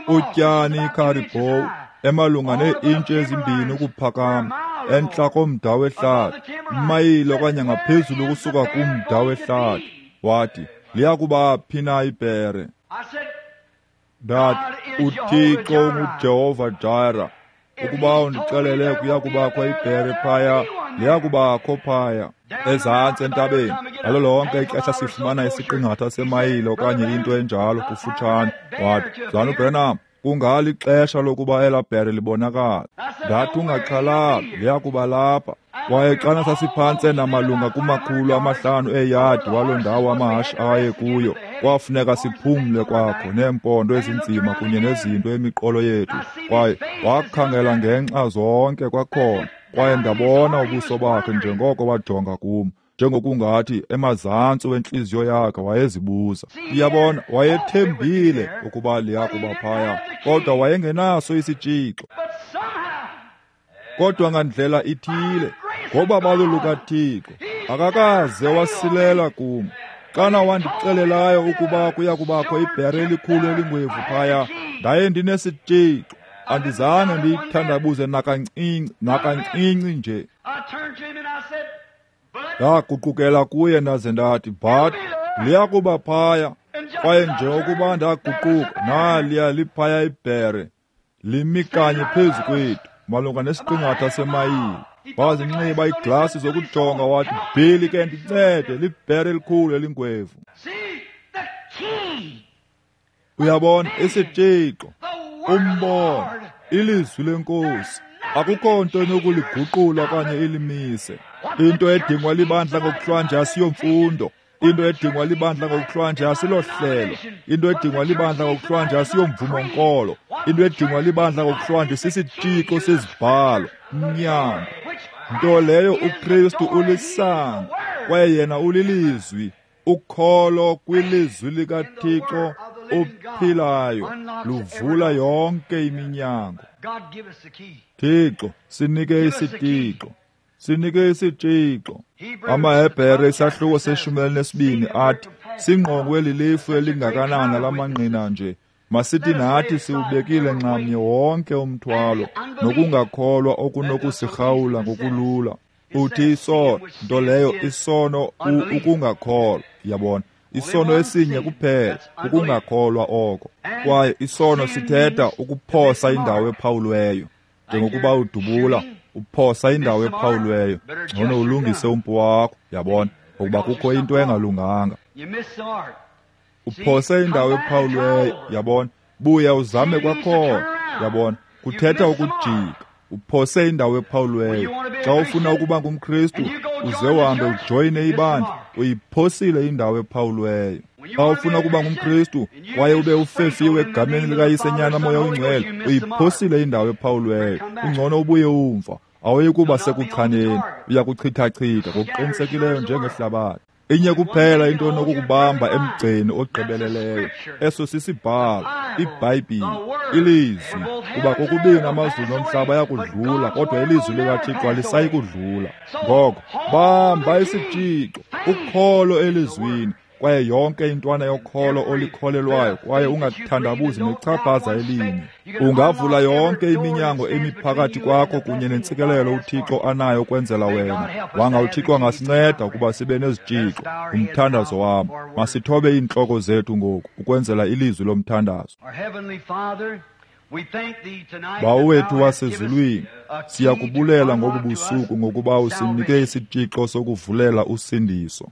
Utyani icaribou emalunga nee-intshi ezimbini ukuphakama entla komda wehlathi, imayile okanye ngaphezulu ukusuka kumda wehlathi. Wathi, liya kuba phi na ibhere? Ndathi, uThixo unguJehova Jireh. Ukuba undixelele kuya kubakho ibhere phaya, liya kubakho phaya ezantsi entabeni. Ngalo lonke ixesha sifumana isiqingatha semayile okanye into enjalo kufutshane. Wathi, Mzalwana uBranham, kungalixesha lokuba elaa bhere libonakala. Ndathi, ungaxhalabi, liya kuba lapha. Kwaye xana sasiphantse namalunga kuma-500 eeyadi waloo ndawo amahashe aye kuyo, kwafuneka siphumle kwakho neempondo ezinzima kunye nezinto emiqolo yethu. Kwaye wakhangela ngenxa zonke kwakhona, kwaye ndabona ubuso bakhe njengoko wajonga kum, njengokungathi emazantsi wentliziyo yakhe wayezibuza. Uyabona, wayethembile ukuba liya kuba phaya, kodwa wayengenaso isitshixo. Kodwa ngandlela ithile, ngobabalo lukaThixo, akakaze wasilela kum. Xana wandixelelayo ukuba kuya kubakho ibhere elikhulu elingwevu phaya, ndaye ndinesitshixo. Andizange ndiyithandabuze nakancinci nje. Ndaguqukela kuye ndaze ndathi, "Bud, liya kuba phaya." Kwaye njengokuba ndaguquka, naliya liphaya ibhere, limi kanye phezu kwethu, malunga nesiqingatha semayile. Wazinxiba iiglasi zokujonga wathi, "Billy, ke ndincede, libhere elikhulu elingwevu." Uyabona, isitshixo, umbono, ilizwi lenkosi, akukho nto enokuliguqula okanye ilimise. Into edingwa libandla ngokuhlwanje asiyomfundo. Into edingwa libandla ngokuhlwanje asilohlelo. Into edingwa libandla ngokuhlwanje asiyomvumo-nkolo. Into edingwa libandla ngokuhlwanje sisitshixo sezibhalo, umnyango. Nto leyo uKristu ulisango, kwaye yena ulilizwi. Ukholo kwilizwi likaThixo ophilayo luvula yonke iminyango. Thixo, sinike isitshixo. Sinike isitshixo. AmaHebhere isahluko se-12 athi, singqongwe lilifu elingakanana lamangqina nje. Masithi nathi siwubekile nxamnye wonke umthwalo nokungakholwa okunokusirhawula ngokulula. Uthi isono, nto leyo isono ukungakholwa, yabona. Isono esinye kuphela, ukungakholwa oko. Kwaye isono sithetha ukuphosa indawo ephawulweyo. Njengokuba udubula, uphosa indawo ephawulweyo. Ngcono ulungise umpu wakho, yabona, ngokuba kukho into engalunganga. Uphose indawo ephawulweyo, yabona. Buya uzame kwakhona, yabona. Kuthetha ukujika. Uphose indawo ephawulweyo. Xa ufuna ukuba ngumKristu, uze uhambe ujoyine ibandla, uyiphosile indawo ephawulweyo. Xa ufuna ukuba ngumKristu kwaye ube ufefiwe egameni likaYise, Nyana, Moya oyiNgcwele, uyiphosile indawo ephawulweyo. Ungcono ubuye umva, awuyi kuba sekuchaneni, uya kuchithachitha ngokuqinisekileyo njengehlabathi. Inye kuphela into onokukubamba emgceni ogqibeleleyo, eso sisibhalo, iBhayibhile, ilizwi. Kuba kokubini amazulu nomhlaba ayakudlula, kodwa ilizwi likaThixo alisayi kudlula. Ngoko bamba isitshixo, ukholo elizwini, kwaye yonke intwana yokholo olikholelwayo, kwaye ungathandabuzi nechaphaza elinye. Ungavula yonke iminyango emi phakathi kwakho kunye nentsikelelo uThixo anayo kwenzela wena. Wanga uThixo angasinceda ukuba sibe nezitshixo. Umthandazo wam. Masithobe iintloko zethu ngoku ukwenzela ilizwi lomthandazo. Bawo wethu wasezulwini, siyakubulela ngobu busuku ngokuba usinike isitshixo sokuvulela usindiso.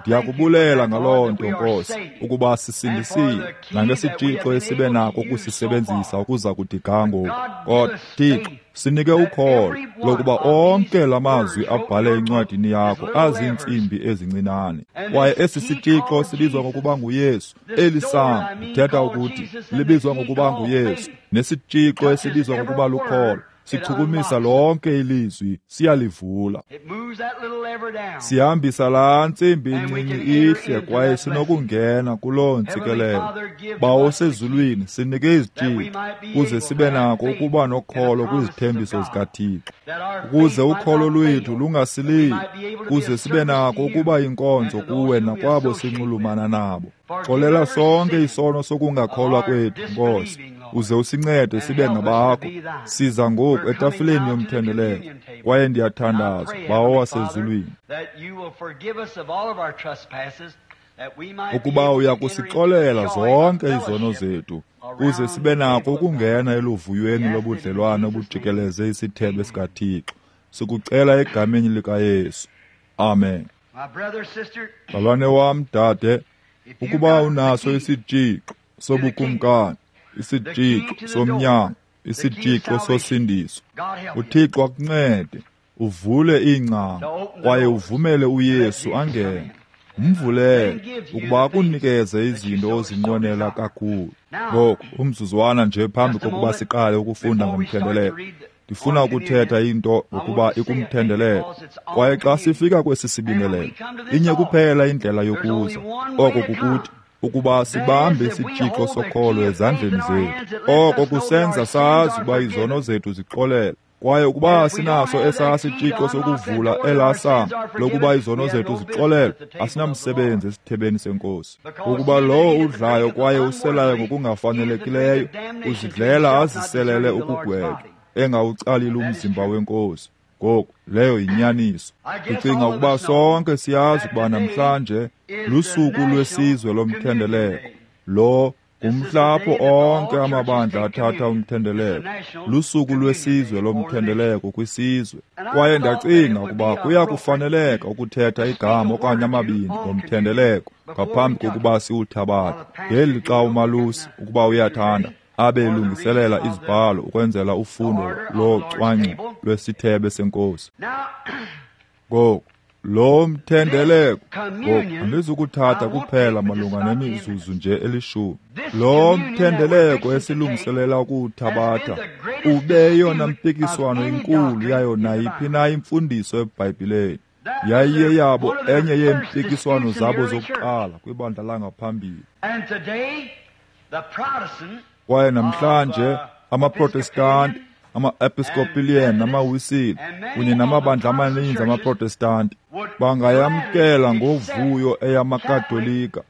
Ndiyakubulela ngaloo nto, Nkosi, ukuba sisindisiwe nangesitshixo esibe nako ukusisebenzisa ukuza kuthi ga ngoku. Kodwa Thixo, sinike ukholo lokuba onke la mazwi abhale encwadini yakho aziintsimbi ezincinane. Kwaye esi sitshixo sibizwa ngokuba nguYesu. Eli sango, ndithetha ukuthi, libizwa ngokuba nguYesu. Nesitshixo esibizwa ngokuba lukholo sichukumisa lonke ilizwi, siyalivula. Sihambisa laa ntsimbi incinci ihle, kwaye sinokungena kuloo ntsikelelo. Bawo osezulwini, sinike izitshixo ukuze sibe nako ukuba nokholo kwizithembiso zikaThixo, ukuze ukholo lwethu lungasileli, ukuze sibe nako ukuba yinkonzo kuwe nakwabo sinxulumana nabo. Xolela sonke isono sokungakholwa kwethu, Nkosi, uze usincede sibe ngabakho. Siza ngoku etafileni yomthendeleko, kwaye ndiyathandaza, Bawo wasezulwini, ukuba uya kusixolela zonke izono zethu, ukuze sibe nako ukungena eluvuyweni lobudlelwane obujikeleze isithebe sikaThixo. Sikucela egameni likaYesu. Amen. Mzalwane wam, dade, ukuba unaso isitshixo sobukumkani, isitshixo somnyango, isitshixo sosindiso, uThixo akuncede uvule iingcango kwaye uvumele uYesu angene. Umvulele ukuba akunikeze izinto ozinqwenela kakhulu. Ngoku, umzuzwana nje phambi kokuba siqale ukufunda ngomthendeleko, ndifuna ukuthetha into ngokuba ikumthendeleko. Kwaye xa sifika kwesi sibingelelo, inye kuphela indlela yokuza, oko kukuthi ukuba sibambe isitshixo sokholo ezandleni zethu. Oko kusenza sazi uba izono zethu zixolelwe. Kwaye ukuba sinaso esaa sitshixo sokuvula elaa sango lokuba izono zethu zixolelwe, asinamsebenzi esithebeni senkosi. Ukuba lowo udlayo kwaye uselayo ngokungafanelekileyo uzidlela aziselele ukugwetywa, engawucalili umzimba wenkosi. Ngoku leyo yinyaniso. Ndicinga ukuba sonke siyazi ukuba namhlanje lusuku lwesizwe lomthendeleko. Lo ngumhla apho onke amabandla athatha umthendeleko. Lusuku lwesizwe lomthendeleko kwisizwe. Kwaye ndacinga ukuba kuya kufaneleka ukuthetha igama okanye amabini ngomthendeleko ngaphambi kokuba siwuthabathe. Ngeli xa umalusi, ukuba uyathanda, abe elungiselela izibhalo ukwenzela ufundo locwangco lwesithebe senkosi. Ngoku lo mthendeleko, ngoku andizukuthatha kuphela malunga nemizuzu nje elishumi. Lo mthendeleko esilungiselela ukuwuthabatha ube yeyona mpikiswano inkulu yayo nayiphi na imfundiso eBhayibhileni. Yayiyeyabo enye yeempikiswano zabo zokuqala kwibandla langaphambili. Kwaye namhlanje amaProtestanti, ama-Episcopalian namaWisile kunye namabandla amaninzi amaProtestanti bangayamkela ngovuyo eyamaKatolika,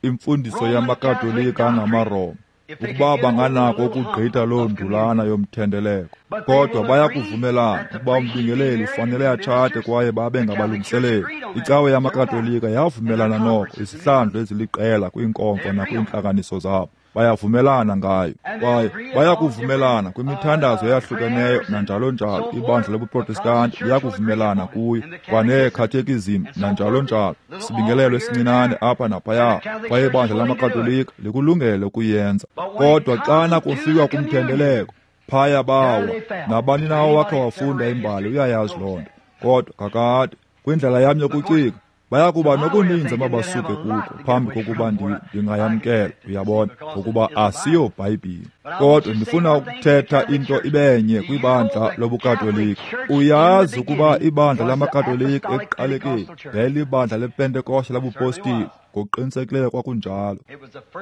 imfundiso yamaKatolika angamaRoma, ukuba banganako ukugqitha loo ndulana yomthendeleko. Kodwa bayakuvumelana ukuba umbingeleli ufanele atshate kwaye babe ngabalungiseleli. Icawe yamaKatolika yavumelana noko izihlandlo eziliqela kwiinkomfa nakwiintlanganiso zabo. Bayavumelana ngayo, kwaye bayakuvumelana kwimithandazo eyahlukeneyo nanjalo njalo. Ibandla lobuProtestanti liyakuvumelana kuyo, kwaneekhathekizim nanjalo njalo, sibingelelo esincinane apha naphaya, kwaye ibandla lamaKatolika likulungele ukuyenza. Kodwa xana kufikwa kumthendeleko, phaya bawa. Nabani na owakhe wafunda imbali uyayazi loo nto. Kodwa kakade, kwindlela yam yokucinga, bayakuba nokuninzi amabasuke kuko phambi kokuba ndingayamkela, uyabona, ngokuba asiyo Bhayibhile. Kodwa ndifuna ukuthetha into ibenye kwibandla lobuKatolika. Uyazi ukuba ibandla lamaKatolika ekuqalekeni yayilibandla lePentekoste labupostile. Ngokuqinisekileyo kwakunjalo.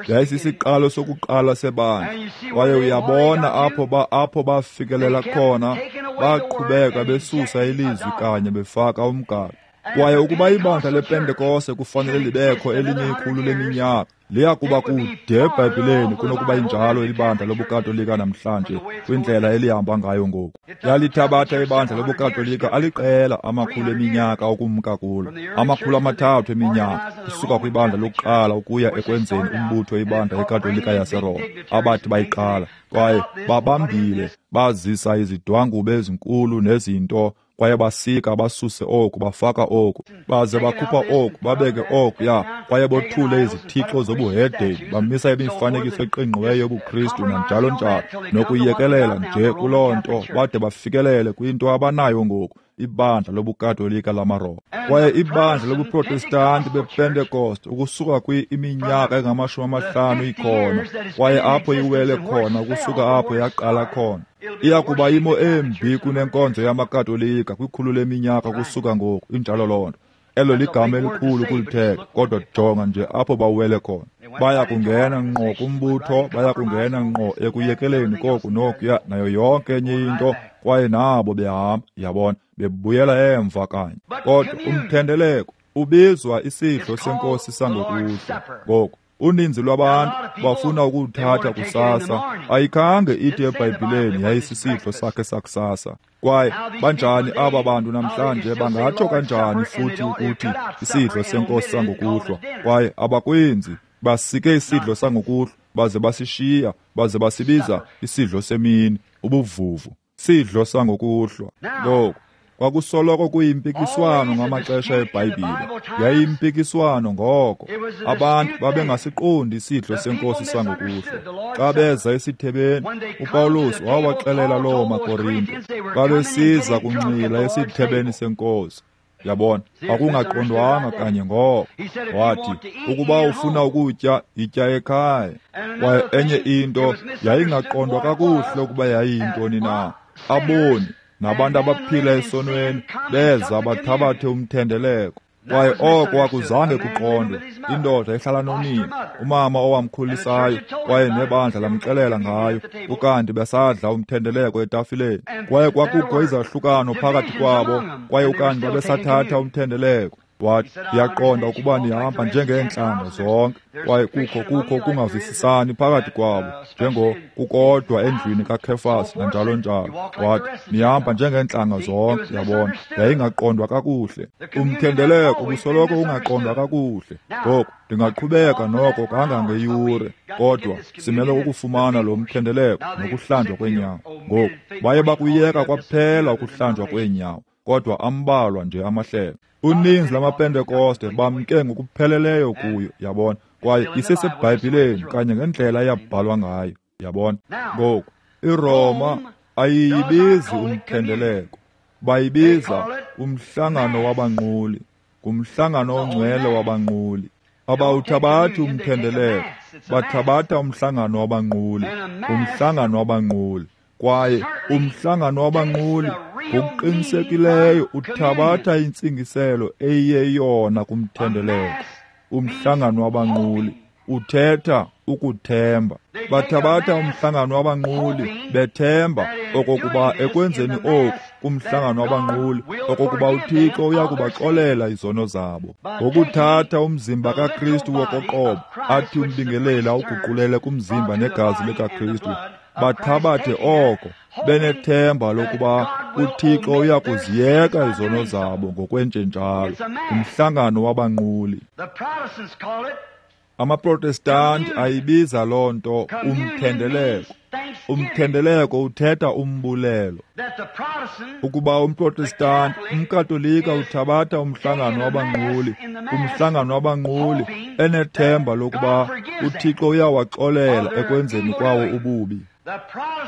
Yayisisiqalo sokuqala sebandla. Kwaye uyabona apho bafikelela khona, baqhubeka besusa ilizwi kanye befaka umgaqo. Kwaye ukuba ibandla lePentekoste kufanele libekho elinye ikhulu leminyaka, liya kuba kude eBhayibhileni kunokuba injalo ibandla lobuKatolika namhlanje kwindlela elihamba ngayo ngoku. Yalithabatha ibandla lobuKatolika aliqela amakhulu eminyaka ukumka kulo, 300 eminyaka kusuka kwibandla lokuqala ukuya ekwenzeni umbutho ibandla eKatolika yaseRoma abathi bayiqala. Kwaye babambile, bazisa izidwangube ezinkulu nezinto, kwaye basika basuse oku, bafaka oku, baze bakhupha oku, babeke oku, ya, kwaye bothule izithixo zobuhedeni, bamisa imifanekiso eqingqiweyo yobuKristu nanjalo njalo, nokuyekelela nje kuloo nto bade bafikelele kwinto abanayo ngoku, ibandla lobuKatolika lamaRoma. Kwaye ibandla lobuProtestanti bePentekoste ukusuka iminyaka engama-50 ikhona, kwaye apho iwele khona, ukusuka apho yaqala khona, iya kuba imo embi kunenkonzo yamaKatolika kwikhulu leminyaka kusuka ngoku. Injalo loo nto. Elo ligama elikhulu kulithetha, kodwa jonga nje apho bawele khona. Baya kungena ngqo kumbutho, baya kungena ngqo ekuyekeleni koku nokuya nayo yonke enye into, kwaye nabo behamba, yabona, bebuyela emva kanye. Kodwa umthendeleko ubizwa isidlo senkosi sangokuhlwa. Ngoku uninzi lwabantu bafuna ukuwuthatha kusasa. Ayikhange ithi eBhayibhileni yayisisidlo sakhe sakusasa. Kwaye banjani aba bantu namhlanje bangatsho kanjani futhi ukuthi isidlo senkosi sangokuhlwa? Kwaye abakwenzi, basike isidlo sangokuhlwa baze basishiya, baze basibiza isidlo semini, ubuvuvu, sidlo sangokuhlwa. Ngoku kwakusoloko kuyimpikiswano ngamaxesha eBhayibhile. Yayiyimpikiswano ngoko. Abantu babengasiqondi isidlo senkosi sangokuhlwa. Xa beza esithebeni, uPawulos wawaxelela loo maKorinte, babesiza kunxila esithebeni senkosi. Yabona, akungaqondwanga kanye ngoko. Wathi, ukuba ufuna ukutya, yitya ekhaya. Kwaye enye into yayingaqondwa kakuhle ukuba yayiyintoni na. Aboni nabantu abaphila esonweni beza bathabathe umthendeleko. Kwaye oko akuzange kuqondwe. Indoda ehlala nonina, umama owamkhulisayo, kwaye nebandla lamxelela ngayo, ukanti besadla umthendeleko etafileni. Kwaye kwakukho izahlukano phakathi kwabo, kwaye ukanti babesathatha umthendeleko. Wathi, ndiyaqonda ukuba nihamba njengeentlanga zonke, kwaye kukho kungavisisani phakathi kwabo, njengo kukodwa endlwini kaKhefas nanjalo njalo. Wathi, nihamba njengeentlanga zonke, yabona. Yayingaqondwa kakuhle. Umthendeleko ubusoloko ungaqondwa kakuhle. Ngoku ndingaqhubeka noko kangangeyure, kodwa simele ukufumana lo mthendeleko nokuhlanjwa kweenyawo. Ngoku baye bakuyeka kwaphela ukuhlanjwa kweenyawo, kodwa ambalwa nje amahlelo. Uninzi lamaPentekoste bamke ngokupheleleyo kuyo, yabona, kwaye iseseBhayibhileni kanye ngendlela eyabhalwa ngayo, yabona. Ngoku iRoma ayiyibizi umthendeleko, bayibiza umhlangano wabanquli, ngumhlangano ongcwele wabanquli. Abawuthabathi umthendeleko, bathabatha umhlangano wabanquli, umhlangano wabanquli. Kwaye umhlangano wabanquli ngokuqinisekileyo uthabatha intsingiselo eyiyeyona kumthendeleko. Umhlangano wabanquli uthetha ukuthemba. Bathabatha umhlangano wabanquli bethemba okokuba ekwenzeni oku kumhlangano wabanquli okokuba uThixo uyakubaxolela izono zabo. Ngokuthatha umzimba kaKristu wokoqobo athi umbingeleli awuguqulele kumzimba negazi likaKristu, bathabathe oko benethemba lokuba uThixo uyakuziyeka izono zabo ngokwenjenjalo. Umhlangano wabanquli. AmaProtestanti ayibiza loo nto umthendeleko. Umthendeleko uthetha umbulelo. Ukuba umProtestanti, umKatolika uthabatha umhlangano wabanquli, umhlangano wabanquli enethemba lokuba uThixo uyawaxolela ekwenzeni kwawo ububi.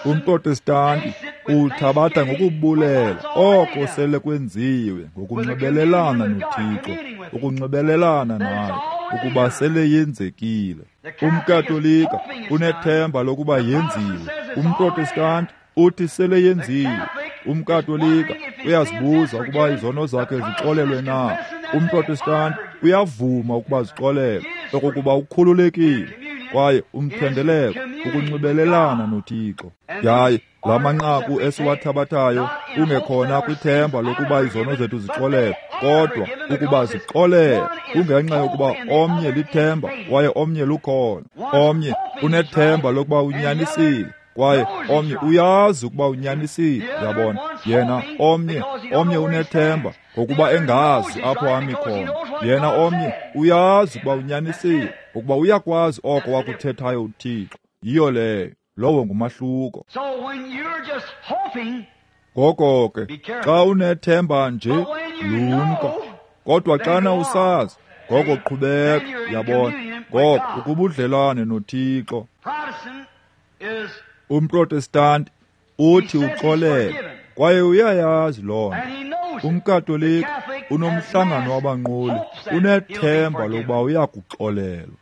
UmProtestanti uthabatha ngokubulela oko sele kwenziwe ngokunxibelelana noThixo, ukunxibelelana naye, ukuba sele yenzekile. UmKatolika unethemba lokuba yenziwe. UmProtestanti uthi sele yenziwe. UmKatolika uyazibuza ukuba izono zakhe zixolelwe na. UmProtestanti uyavuma ukuba zixolelwe, okokuba ukhululekile. Kwaye umthendeleko ukunxibelelana noThixo. Yaye la manqaku esiwathabathayo kungekhona kwithemba lokuba izono zethu zixolelwe, kodwa ukuba zixolelwe kungenxa yokuba omnye lithemba kwaye omnye lukholo. Omnye unethemba lokuba unyanisile, kwaye omnye uyazi ukuba unyanisile, yabona. Yena omnye unethemba ngokuba engazi apho ami khona. Yena omnye uyazi ukuba unyanisile, ngokuba uyakwazi oko wakuthethayo uThixo. Yiyo leyo, lowo ngumahluko. Ngoko ke xa unethemba nje, lumka. Kodwa xana usazi, ngoko qhubeka, yabona. Ngoko ukubudlelwane noThixo. UmProtestanti uthi uxolele, kwaye uyayazi loo nto. UmKatolika unomhlangano wabanquli, unethemba lokuba uyakuxolelwa.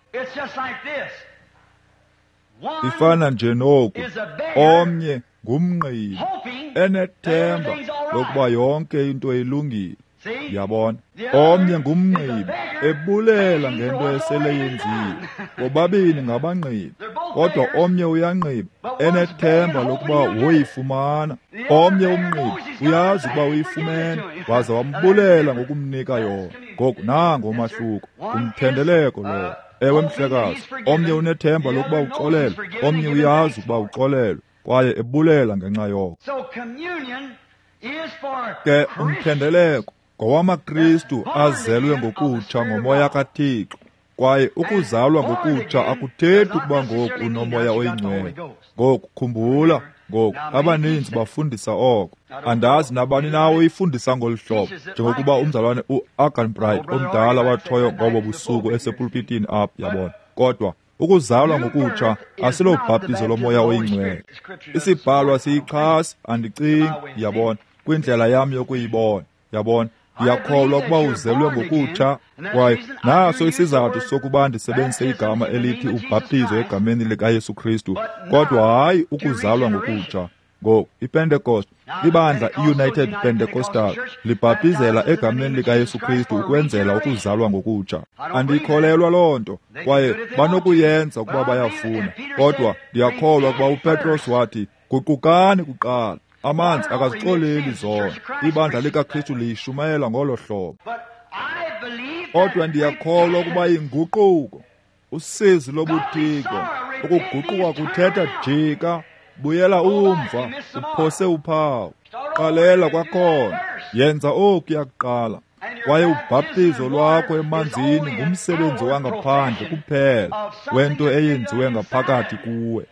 Ifana nje noku, omnye ngumnqili enethemba lokuba yonke into ilungile, yabona. Omnye ngumnqibi ebulela ngento esele yenziwe. Bobabini ngabanqibi, kodwa omnye uyanqiba enethemba lokuba woyifumana. Omnye umnqibi uyazi ukuba uyifumene, waza wambulela ngokumnika yona. Ngoku nango umahluko, ngumthendeleko lowo. Ewe mhlekazi, omnye unethemba lokuba uxolelwe, omnye uyazi ukuba uxolelwe, kwaye ebulela ngenxa yoko. Ke umthendeleko ngowamaKristu azelwe ngokutsha ngomoya kaThixo, kwaye ukuzalwa ngokutsha akuthethi ukuba ngoku unomoya oyingcwele. Ngoku khumbula, ngoku abaninzi bafundisa oko. Andazi nabani na oyifundisa ngolu hlobo, njengokuba umzalwane uArganbright omdala watshoyo ngobo busuku esepulpitini apha, yabona. Kodwa ukuzalwa ngokutsha asilobhaptizo lomoya oyingcwele. Isibhalwa siyixhasi, andicingi, yabona, kwindlela yam yokuyibona, yabona. Ndiyakholwa ukuba uzelwe ngokutsha, kwaye naso isizathu sokuba ndisebenzise igama elithi ubhaptizo egameni likaYesu Kristu, kodwa hayi ukuzalwa ngokutsha. Ngoku iPentecost, ibandla iUnited Pentecostal libhaptizela egameni likaYesu Kristu ukwenzela ukuzalwa ngokutsha. Andiyikholelwa loo nto, kwaye banokuyenza ukuba bayafuna, kodwa ndiyakholwa ukuba uPetros wathi, guqukani kuqala. Amanzi akazixoleli zona. Ibandla likaKristu liyishumayela ngolo hlobo. Kodwa ndiyakholwa ukuba inguquko, usizi lobuthixo, ukuguquka kuthetha jika, buyela umva, uphose uphawu, qalela kwakhona, yenza okuya kuqala. Kwaye ubhaptizo lwakho emanzini ngumsebenzi wangaphandle kuphela wento eyenziwe ngaphakathi kuwe,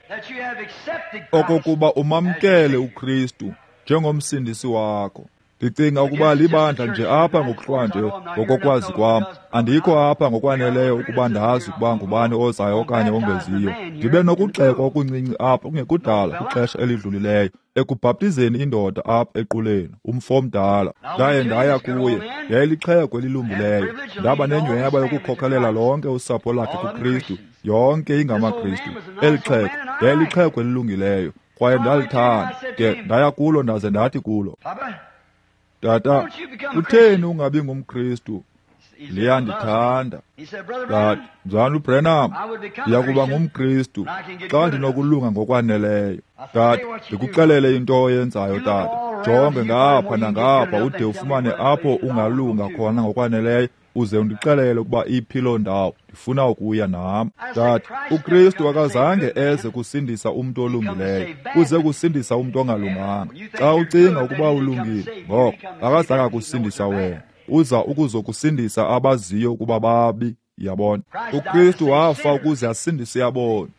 okokuba umamkele uKristu njengomsindisi wakho. Ndicinga ukuba libandla nje apha ngokuhlwanje, ngokokwazi kwam. Andikho apha ngokwaneleyo ukuba ndazi ukuba ngubani ozayo okanye ongeziyo. Ndibe nokugxekwa okuncinci apha kungekudala kwixesha elidlulileyo ekubhaptizeni indoda apha equleni, umfo omdala. Ndaye ndaya kuye, yayilixhego elilungileyo. Ndaba nenyhweba yokukhokhelela lonke usapho lakhe kuKristu, yonke ingamaKristu. Eli xhego yayilixhego elilungileyo, kwaye ndalithanda. Ke ndaya kulo ndaze ndathi kulo, Tata, kutheni ungabi ngumKristu? Liyandithanda. Ndathi, Mzalwana uBranham, ndiyakuba ngumKristu xa ndinokulunga ngokwaneleyo. Ndathi, ndikuxelele into oyenzayo, tata. Jonge ngapha nangapha ude ufumane apho ungalunga khona ngokwaneleyo, uze undixelele ukuba iphi loo ndawo. Ndifuna ukuya nam. Ndathi, uKristu akazange eze kusindisa umntu olungileyo, uze kusindisa umntu ongalunganga. Xa ucinga ukuba ulungile, ngoko akazange akusindisa wena, uza ukuzokusindisa abaziyo ukuba babi. Yabona, uKristu wafa ukuze asindise aboni.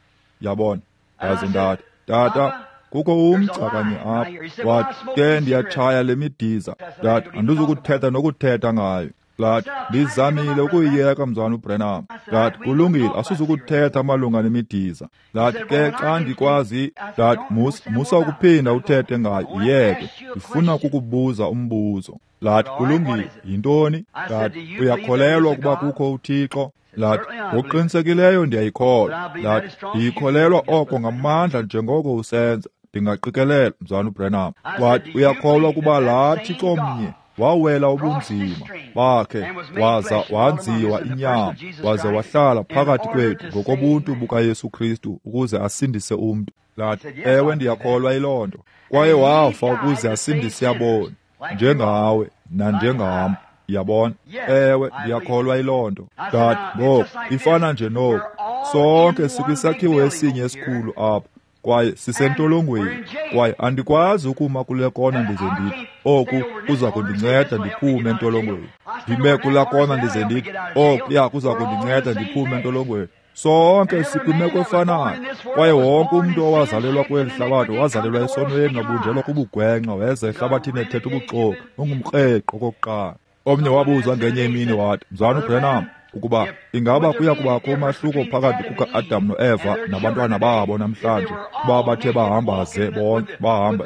Yabona. Ndaze ndathi, Tata, kukho umgca kanye apha. Wathi, ke ndiyatshaya le midiza. Ndathi, andizukuthetha nokuthetha ngayo. Lathi, ndizamile ukuyiyeka, Mzalwana uBranham. Ndathi, kulungile, asizukuthetha malunga nemidiza. Ndathi, ke xa ndikwazi. Ndathi, musa ukuphinda uthethe ngayo, yiyeke. Ndifuna ukukubuza umbuzo. Lathi, kulungile, yintoni? Ndathi, uyakholelwa ukuba kukho uThixo? Lathi, ngokuqinisekileyo ndiyayikholwa. Lathi, ndiyikholelwa oko ngamandla njengoko usenza. Ndingaqikelela, Mzalwana uBranham. Wathi, uyakholwa ukuba laa Thixo mnye wawela ubunzima bakhe waza wanziwa inyama waze wahlala phakathi kwethu ngokobuntu bukaYesu Kristu ukuze asindise umntu? Lathi, ewe, ndiyakholwa yiloo nto. Kwaye wafa ukuze asindise aboni njengawe nanjengam. Yabona? Ewe, ndiyakholwa yiloo nto. Ndathi, ngoku ifana nje noku, sonke sikwisakhiwo esinye esikhulu apha, kwaye sisentolongweni, kwaye andikwazi ukuma kule kona ndize ndithi oku kuza kundinceda ndiphume entolongweni. Ndime kulaa kona ndize ndithi okuya kuza kundinceda ndiphume entolongweni. Sonke sikwimeko efanayo, kwaye wonke umntu owazalelwa kweli hlabathi wazalelwa esonweni, wabunjelwa kubugwenxa, weza ehlabathini ethetha ubuxoki, ungumkreqo okokuqala. Omnye wabuzwa ngenye imini wathi, Mzalwana uBranham, ukuba ingaba kuya kubakho umahluko phakathi kuka-Adam noEva nabantwana babo namhlanje, kuba bathe bahamba ze bonke bahamba,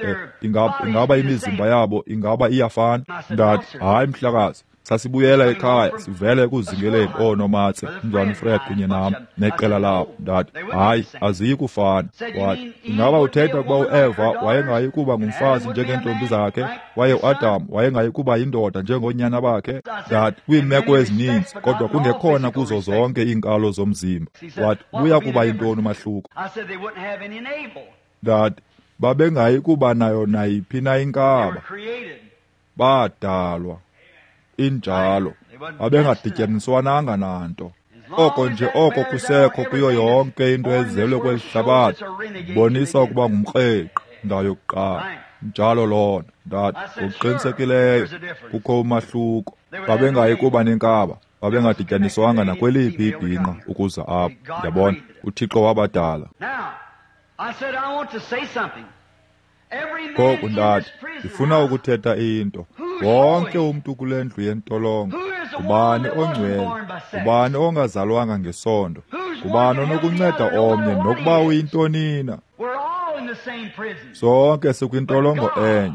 ingaba imizimba yabo ingaba iyafana? Ndathi, hayi mhlakazi, sasibuyela ekhaya sivele ekuzingeleni oonomatse, uMzalwana uFred kunye nam neqela labo. Ndathi, hayi, aziyi kufana. Wathi, ingaba uthetha ukuba uEva wayengayi kuba ngumfazi njengeentombi zakhe, kwaye uAdam wayengayi kuba yindoda njengoonyana bakhe? Ndathi, kwiimeko ezininzi, kodwa kungekhona kuzo zonke iinkalo zomzimba. Wathi, buya kuba yintoni umahluko? Ndathi, babengayi kuba nayo nayiphi na inkaba, badalwa injalo, babengadityaniswananga nanto. Oko nje oko kusekho kuyo yonke into ezelwe kweli hlabathi, bonisa ukuba ngumkreqi ndawo yokuqala. Njalo loo nto. Ndathi, ngokuqinisekileyo kukho umahluko. Babengayi kuba nenkaba, babengadityaniswanga nakweliphi ibhinqa ukuza apha. Yabona, uThixo wabadala. Ngoku ndathi, ndifuna ukuthetha into. Wonke umntu kule ndlu yentolongo, ngubani ongcwele, ngubani ongazalwanga ngesondo, ngubani onokunceda omnye nokuba uyintonina? Sonke sikwintolongo enye,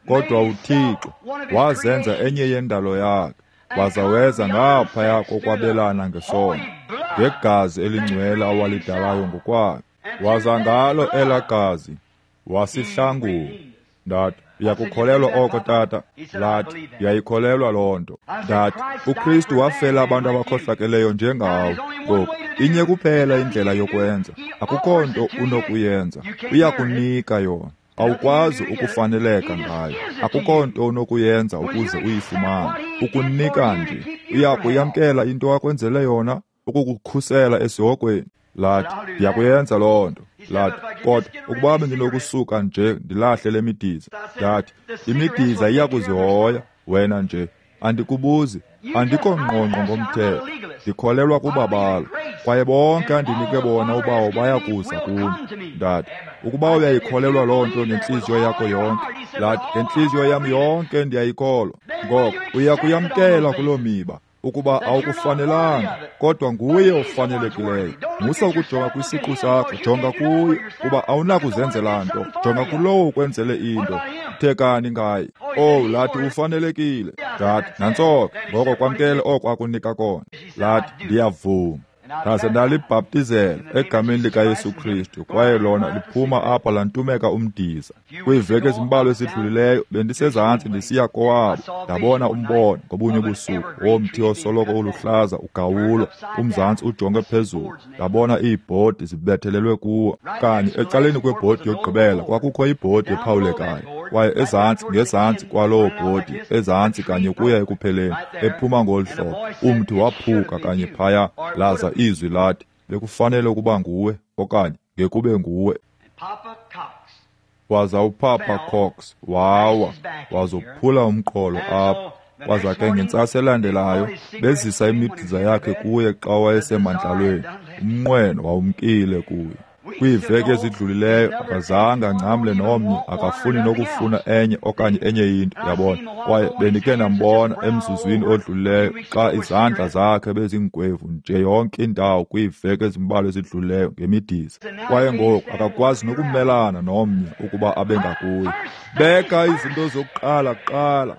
kodwa uThixo wazenza enye yendalo yakhe, waza weza ngaphaya kokwabelana ngesondo ngegazi elingcwele awalidalayo ngokwakhe. Waza ngalo elaa gazi Wasihlangula. Ndathi, uyakukholelwa oko, tata? Lathi, ndiyayikholelwa loo nto. Ndathi, uKristu wafela abantu abakhohlakeleyo njengawe. Ngoku, inye kuphela indlela yokwenza. Akukho nto unokuyenza. Uyakunika yona. Awukwazi ukufaneleka ngayo. Akukho nto unokuyenza ukuze uyifumane. Ukunika nje. Uyakuyamkela into akwenzele yona, ukukukhusela esihogweni. Lathi, ndiyakuyenza loo nto. Lathi, kodwa ukuba bendinokusuka nje ndilahle le midiza. Ndathi, imidiza iyakuzihoya wena nje. Andikubuzi, andikho ngqongqo ngomthetho. Ndikholelwa kubabalo, kwaye bonke andinike bona uBawo bayakuza kum. Ndathi, ukuba uyayikholelwa loo nto ngentliziyo yakho yonke. Lathi, ngentliziyo yam yonke ndiyayikholwa. Ngoko uyakuyamkela kuloo miba, ukuba awukufanelanga, kodwa nguye ofanelekileyo. Musa ukujonga kwisiqu sakho, jonga kuye, kuba awunakuzenzela nto. Jonga kulowo ukwenzele into. Thekani ngaye. Oh, lathi, ufanelekile. Ndathi, nantso ke, ngoko kwamkele oko akunika kona. Lathi, ndiyavuma. Ndaze ndalibhaptizela egameni likaYesu Kristu, kwaye lona liphuma apha lantumeka umdiza. Kwiiveki ezimbalwa ezidlulileyo bendisezantsi ndisiya kowabo, ndabona umbono ngobunye ubusuku womthi osoloko uluhlaza ugawulwa, umzantsi ujonge phezulu. Ndabona iibhodi zibethelelwe kuwo. Kanye ecaleni kwebhodi yokugqibela kwakukho ibhodi ephawulekayo, kwaye ezantsi ngezantsi kwaloo bhodi, ezantsi kanye kuya ekupheleni, ephuma ngolu hlobo, umthi waphuka kanye phaya, laza izwi lathi, bekufanele ukuba nguwe, okanye ngekube nguwe. Waza uPapa Cox wawa, wazophula umqolo apha. Waza ke ngentsasa elandelayo bezisa imidiza yakhe kuye xa wayesemandlalweni. Umnqweno wawumkile kuye. Kwiiveki ezidlulileyo akazange angcamle nomnye, akafuni nokufuna enye okanye enye into, yabona. Kwaye bendikhe ndambona emzuzwini odlulileyo xa izandla zakhe bezingwevu nje yonke indawo kwiiveki ezimbalwa ezidlulileyo ngemidiza. Kwaye ngoku akakwazi nokumelana nomnye ukuba abe ngakuye. Beka izinto zokuqala kuqala.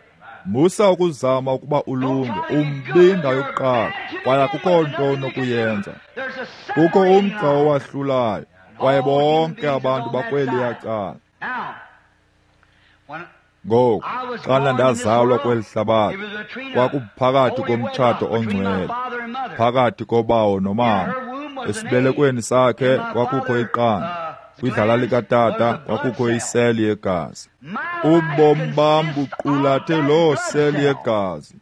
Musa ukuzama ukuba ulunge, umbinda yokuqala, kwaye akukho nto onokuyenza. Kukho umgca owahlulayo, kwaye bonke abantu bakweliya cala. Ngoku, xana ndazalwa kweli hlabathi, kwakuphakathi komtshato ongcwele, phakathi kobawo nomama. Esibelekweni sakhe kwakukho iqanda, kwidlala likatata kwakukho iseli yegazi. Ubomi bam buqulathe loo seli yegazi,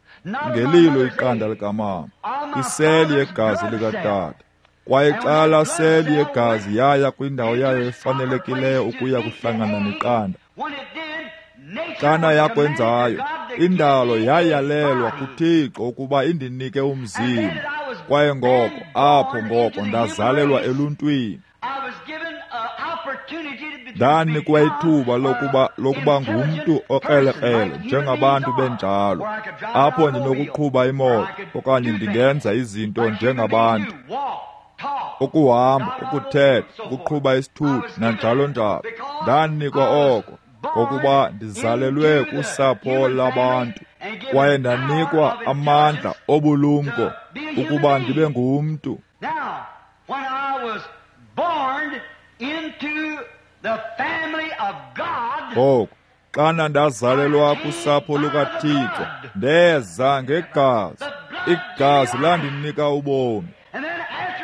ngelilo iqanda likamama, iseli yegazi likatata. Kwaye xa laa seli yegazi yaya kwindawo yayo efanelekileyo ukuya kuhlangana neqanda, xana yakwenzayo, indalo yayalelwa kuThixo ukuba indinike umzimba. Kwaye ngoko, apho ngoko ndazalelwa eluntwini. Ndanikwa ithuba lokuba ngumntu okrelekrele njengabantu benjalo, apho ndinokuqhuba imoto okanye ndingenza izinto njengabantu, ukuhamba, ukuthetha, ukuqhuba isithuthi nanjalo njalo. Ndanikwa oko ngokuba ndizalelwe kusapho labantu, kwaye ndanikwa amandla obulumko ukuba ndibe ngumntu. Ngoku, xana ndazalelwa kusapho lukaThixo, ndeza ngegazi. Igazi landinika ubomi.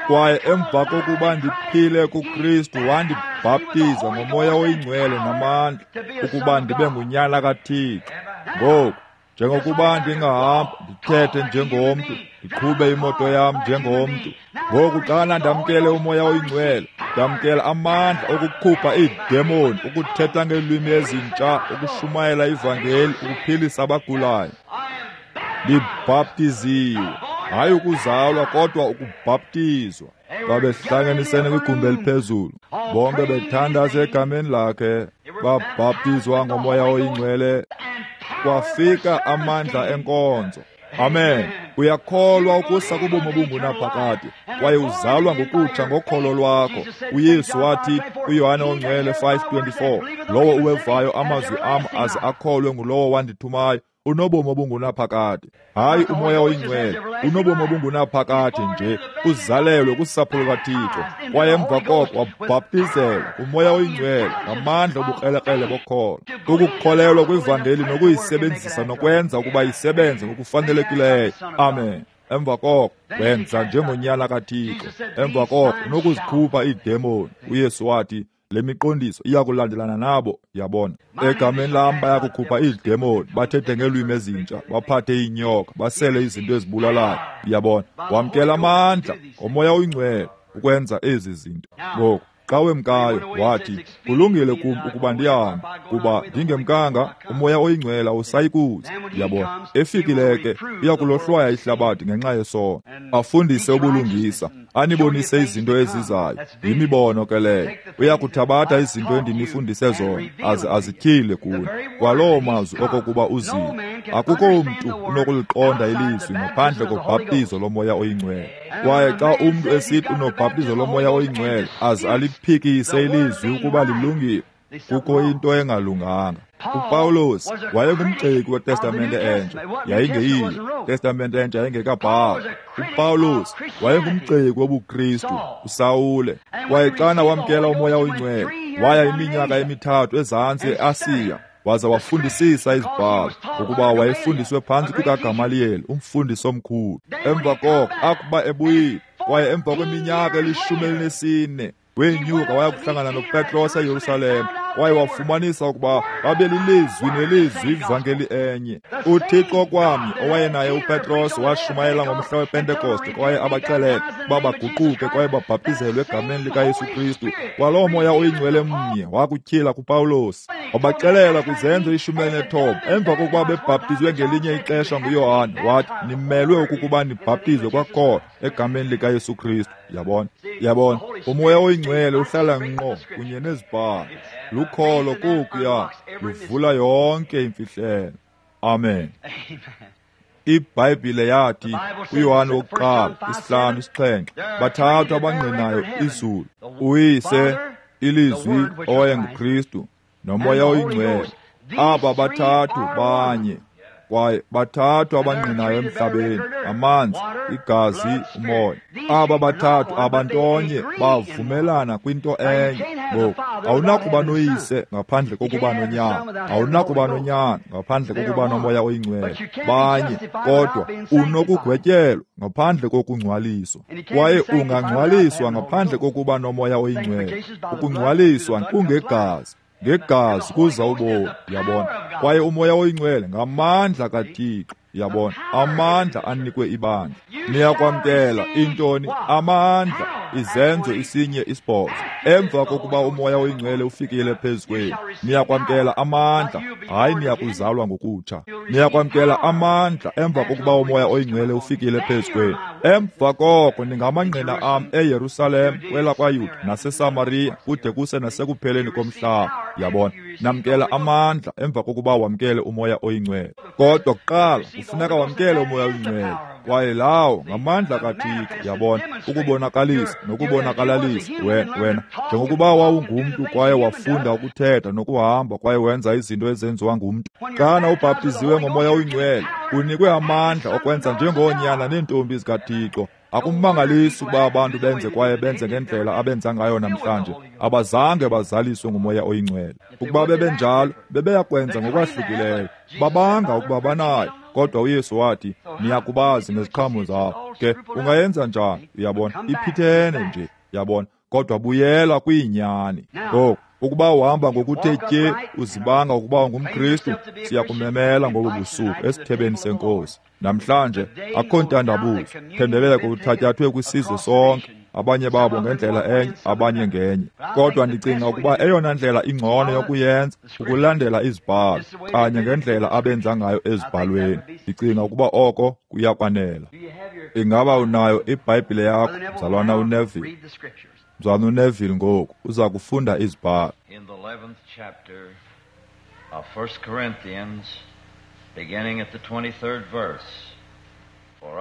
Kwaye emva kokuba ndiphile kuKristu, wandibhaptiza ngoMoya oyiNgcwele namandla ukuba ndibe ngunyana kaThixo. Ngoku, njengokuba ndingahamba ndithethe njengomntu, ndiqhube imoto yam njengomntu, ngoku xana ndamkele uMoya oyiNgcwele, ndamkela amandla okukhupha iidemoni, ukuthetha ngeelwimi ezintsha, ukushumayela ivangeli, ukuphilisa abagulayo. Ndibhaptiziwe, hayi ukuzalwa kodwa ukubhaptizwa. Babehlanganisene kwigumbi eliphezulu, bonke bethandaza egameni lakhe, babhaptizwa ngoMoya oyiNgcwele. Kwafika amandla enkonzo. Amen. Uyakholwa ukusa kubomi obungunaphakade, kwaye uzalwa ngokutsha ngokholo lwakho. uYesu wathi kuYohane oNgcwele 5:24, lowo uwevayo amazwi am aze akholwe ngulowo wandithumayo, unobomi obungunaphakade. Hayi uMoya oyiNgcwele, unobomi obungunaphakade nje, uzalelwe kusapho lukaThixo, kwaye emva koko wabhaptizelwa kuMoya oyiNgcwele ngamandla obukrelekrele bokholo, ukukholelwa kwivangeli nokuyisebenzisa nokwenza ukuba isebenze ngokufanelekileyo. Amen. Emva koko wenza njengonyana kaThixo. Emva koko unokuzikhupha iidemoni. UYesu wathi le miqondiso iya kulandelana nabo. Yabona, egameni lam bayakukhupha iidemoni, bathethe ngeelwimi ezintsha, baphathe iinyoka, basele izinto ezibulalayo. Yabona, wamkela amandla ngoMoya oyiNgcwele ukwenza ezi zinto. Ngoku xa wemkayo wathi, kulungile kum ukuba ndihambe, kuba ndingemkanga uMoya oyiNgcwele awusayikuza. Yabona, efikile ke uya kulohlwaya ihlabathi ngenxa yesono, afundise ubulungisa, anibonise izinto ezizayo. Yimibono ke leyo. Uya kuthabatha izinto endinifundise zona aze azityhile kuni, kwaloo mazwi okokuba uzile. Akukho mntu unokuliqonda ilizwi ngaphandle kobhaptizo loMoya oyiNgcwele. Kwaye xa umntu esithi unobhaptizo loMoya oyiNgcwele aze aliphikise ilizwi ukuba lilungile, kukho into engalunganga. UPawulos wayengumgxeki weTestamente Entsha. Yayingeyiyo Testamente Entsha, yayingekabhalwa. UPawulos wayengumgxeki wobuKristu, uSawule. Kwaye xana wamkela uMoya oyiNgcwele, waya iminyaka emithathu ezantsi eAsiya, waza wafundisisa izibhalo, ngokuba wayefundiswe phantsi kukaGamaliyeli, umfundisi omkhulu. Emva koko akuba ebuyile, kwaye emva kweminyaka eli-14 wenyuka waya kuhlangana noPetros eYerusalem, kwaye wafumanisa ukuba babelilizwi nelizwi ivangeli enye. UThixo kwamnye owayenaye uPetros washumayela ngomhla wePentekoste, kwaye abaxelela ukuba baguquke kwaye babhaptizelwe egameni likaYesu Kristu. Kwaloo Moya oyiNgcwele mnye wakutyhila kuPawulos, wabaxelela kwiZenzo 19, emva kokuba bebhaptizwe ngelinye ixesha nguYohane, wathi nimelwe ukuba nibhaptizwe kwakhona egameni likaYesu Kristu. Yabona, yabona, uMoya oyiNgcwele uhlala ngqo kunye nezibhalo. Lukholo kokuya luvula yonke imfihlelo. Amen. IBhayibhile yathi kuYohane wokuqala 5:7, bathathu abangqinayo izulu, uYise, iLizwi owayenguKristu, noMoya oyiNgcwele. Aba bathathu banye, kwaye bathathu abangqinayo emhlabeni, amanzi, igazi, umoya. Aba bathathu abantonye bavumelana kwinto enye. Ngoku awunakuba noyise ngaphandle kokuba nonyana, awunakuba nonyana ngaphandle kokuba noMoya oyiNgcwele. Banye, kodwa unokugwetyelwa ngaphandle kokungcwaliswa, kwaye ungangcwaliswa ngaphandle kokuba noMoya oyiNgcwele. Ukungcwaliswa kungegazi, ngegazi kuza ubomi. Yabona, kwaye uMoya oyiNgcwele ngamandla kaThixo. Yabona, amandla anikwe ibandla. Niyakwamkela intoni? Amandla. Izenzo 1:8. Emva kokuba uMoya oyiNgcwele ufikile phezu kwenu, niyakwamkela amandla. Hayi, niyakuzalwa ngokutsha. Niyakwamkela amandla emva kokuba uMoya oyiNgcwele ufikile phezu kwenu. Emva koko ningamangqina am eYerusalem, kwelakwaYuda naseSamariya, kude kuse nasekupheleni komhlaba. Yabona, namkela amandla emva kokuba wamkele uMoya oyiNgcwele. Kodwa kuqala kufuneka wamkele uMoya oyiNgcwele, kwaye lawo ngamandla kaThixo. Yabona, ukubonakalisa nokubonakalalisa wena njengokuba wawungumntu kwaye wafunda ukuthetha nokuhamba kwaye wenza izinto ezenziwa ngumntu. Xana ubhaptiziwe ngoMoya oyiNgcwele, unikwe amandla okwenza njengoonyana neentombi zikaThixo. Akumangalisi ukuba abantu benze kwaye benze ngendlela abenza ngayo namhlanje. Abazange bazaliswe nguMoya oyiNgcwele. Ukuba bebenjalo, bebeyakwenza ngokwahlukileyo. Babanga ukuba banayo, kodwa uYesu wathi, niyakubazi ngeziqhamo zabo. Ke ungayenza njani? Uyabona, iphithene nje. Yabona, kodwa buyela kwiinyani. Ngoku ukuba uhamba ngokuthe tye, uzibanga ukuba ungumKristu, siyakumemela ngobu busuku esithebeni seNkosi. Namhlanje akho ntandabuzo, thendeleko uthatyathwe kwisizwe sonke, abanye babo ngendlela enye, abanye ngenye. Kodwa ndicinga ukuba eyona ndlela ingcono yokuyenza ukulandela izibhalo kanye ngendlela abenza ngayo ezibhalweni. Ndicinga ukuba oko kuyakwanela. Ingaba unayo iBhayibhile yakho, mzalwana uNeville? Mzalwana uNeville ngoku uza kufunda izibhalo. In the 11th chapter of 1 Corinthians, beginning at the 23rd verse.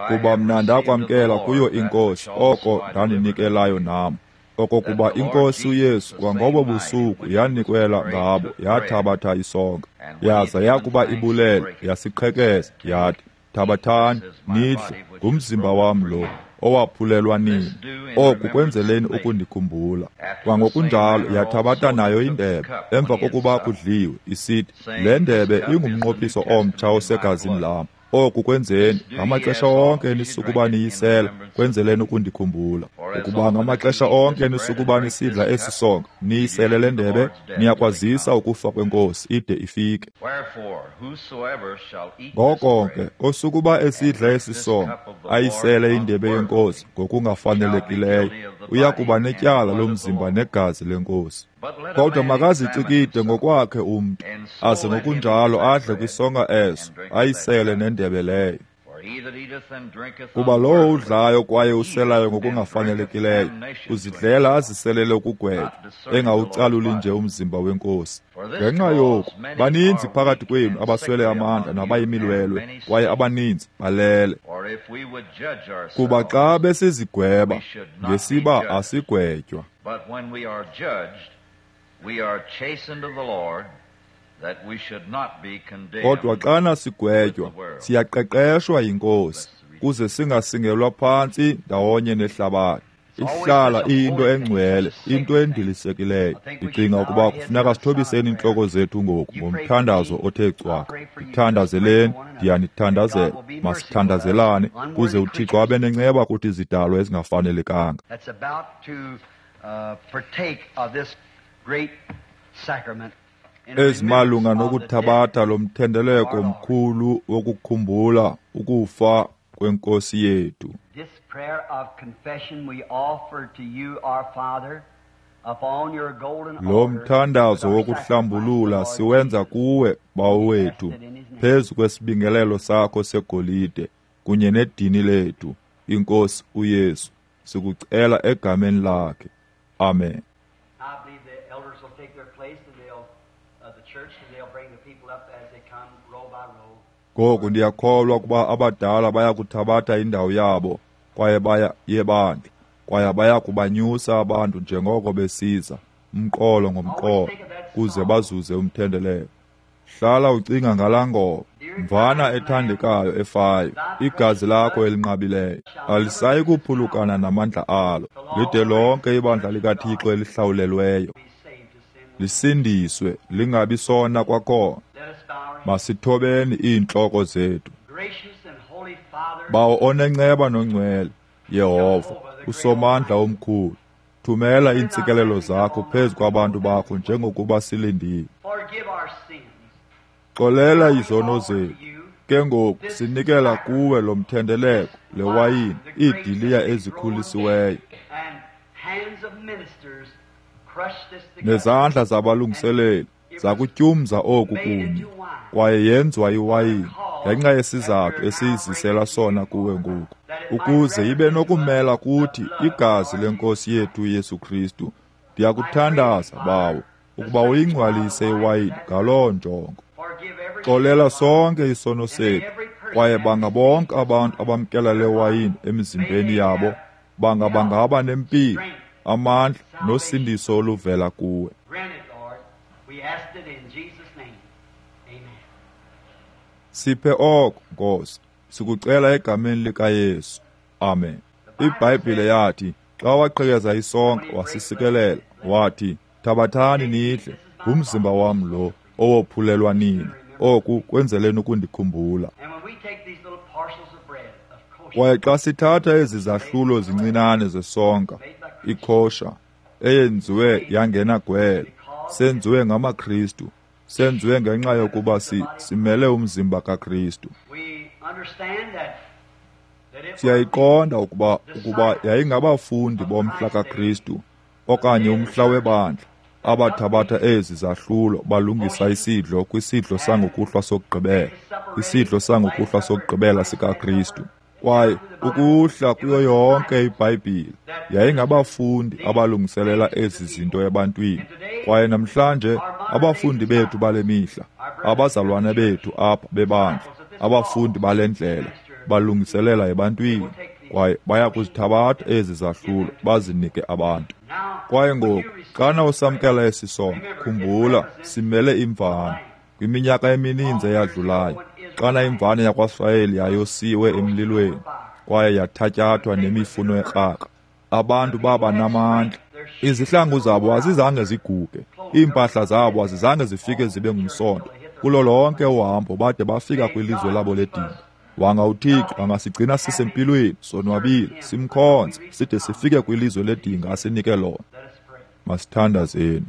Kuba mna ndakwamkela kuyo iNkosi oko ndaninikelayo nam, Okokuba iNkosi uYesu kwangobo busuku yanikwela ngabo yathabatha isonka, yaza yakuba ibulele yasiqhekeza, yathi, Thabathani nidle, ngumzimba wam lo owaphulelwa nini. Oku kwenzeleni ukundikhumbula. Kwangokunjalo yathabatha nayo indebe emva kokuba kudliwe, isithi, Le ndebe ingumnqophiso omtsha osegazini lam. Oku kwenzeni ngamaxesha onke nisukuba niyisela, kwenzeleni ukundikhumbula. Ukuba ngamaxesha onke nisukuba nisidla esi sonka, niyisele le ndebe, niyakwazisa ukufa kweNkosi ide ifike. Ngoko ke osukuba esidla esi sonka, ayisele indebe yeNkosi ngokungafanelekileyo, uya kuba netyala lomzimba negazi leNkosi. Kodwa makazicikide ngokwakhe umntu, aze ngokunjalo adle kwisonka eso, ayisele nendebe leyo. Kuba lowo udlayo kwaye uselayo ngokungafanelekileyo, uzidlela aziselele ukugwetywa, engawucaluli nje umzimba weNkosi. Ngenxa yoku, baninzi phakathi kwenu abaswele amandla nabayimilwelwe, kwaye abaninzi balele. Kuba xa besizigweba, ngesiba asigwetywa. Kodwa xana sigwetywa, siyaqeqeshwa yiNkosi, kuze singasingelwa phantsi ndawonye nehlabathi. Ihlala iyinto engcwele, into endilisekileyo. Ndicinga ukuba kufuneka sithobiseni iintloko zethu ngoku ngomthandazo othe cwaka. Ndithandazeleni, ndiyanithandazela. Masithandazelane kuze uThixo abe nenceba kuthi izidalwa ezingafanelekanga. Ezimalunga nokuthabatha lo mthendeleko mkhulu wokukhumbula ukufa kweNkosi yethu. Lo mthandazo wokuhlambulula siwenza kuwe, Bawo wethu, phezu kwesibingelelo sakho segolide kunye nedini lethu, iNkosi uYesu. Sikucela egameni lakhe. Amen. Ngoku ndiyakholwa ukuba abadala baya kuthabatha indawo yabo kwaye baya yebandla, kwaye baya kubanyusa abantu njengoko besiza, umqolo ngomqolo, kuze bazuze umthendeleko. Hlala ucinga ngalaa ngoma, mvana ethandekayo efayo, igazi lakho elinqabileyo alisayi kuphulukana namandla alo, lide lonke ibandla likaThixo elihlawulelweyo lisindiswe, lingabi sona kwakhona. Masithobeni iintloko zethu. Bawo onenceba nongcwele, Yehova, uSomandla omkhulu, thumela iintsikelelo zakho phezu kwabantu bakho njengokuba silindile. Xolela izono zethu. Ke ngoku sinikela kuwe lo mthendeleko, le wayini, iidiliya ezikhulisiweyo, nezandla zabalungiseleli zakutyumza oku kunye, kwaye yenziwa iwayini ngenxa yesizathu esiyizisela sona kuwe ngoku, ukuze ibe nokumela kuthi igazi leNkosi yethu Yesu Kristu. Ndiyakuthandaza, Bawo, ukuba uyingcwalise iwayini ngaloo njongo. Xolela sonke isono sethu, kwaye banga bonke abantu abamkela le wayini emizimbeni yabo banga bangaba nempilo, amandla nosindiso oluvela kuwe. Siphe oko, Nkosi, sikucela egameni likaYesu. Amen. IBhayibhile yathi, xa waqhekeza isonka wasisikelela, wathi, Thabathani nidle, ngumzimba wam lo owophulelwa nini. Oku kwenzeleni ukundikhumbula. Kwaye xa sithatha ezi zahlulo zincinane zesonka, ikhosha, eyenziwe yangena gwele, senziwe ngamaKristu, senziwe ngenxa yokuba simele umzimba kaKristu. Siyayiqonda ukuba yayingabafundi bomhla kaKristu okanye umhla webandla abathabatha ezi zahlulo balungisa isidlo kwisidlo sangokuhlwa sokugqibela, isidlo sangokuhlwa sokugqibela sikaKristu. Kwaye ukuhla kuyo yonke iBhayibhile yayingabafundi abalungiselela ezi zinto ebantwini. Kwaye namhlanje abafundi bethu bale mihla, abazalwane bethu apha bebandla, abafundi bale ndlela balungiselela ebantwini. Kwaye baya kuzithabatha ezi zahlulo bazinike abantu. Kwaye ngoku xana usamkela esi sonka, khumbula, simele imvana. Kwiminyaka emininzi eyadlulayo, xana imvana yakwaSirayeli yayosiwe emlilweni kwaye yathatyathwa nemifuno ekrakra, abantu baba namandla. Izihlangu zabo azizange ziguge, iimpahla zabo azizange zifike zibe ngumsonto. Kulo lonke uhambo bade bafika kwilizwe labo ledinga. Wanga uThixo angasigcina sisempilweni, sonwabile, simkhonze, side sifike kwilizwe ledinga asinike lona. Masithandazeni.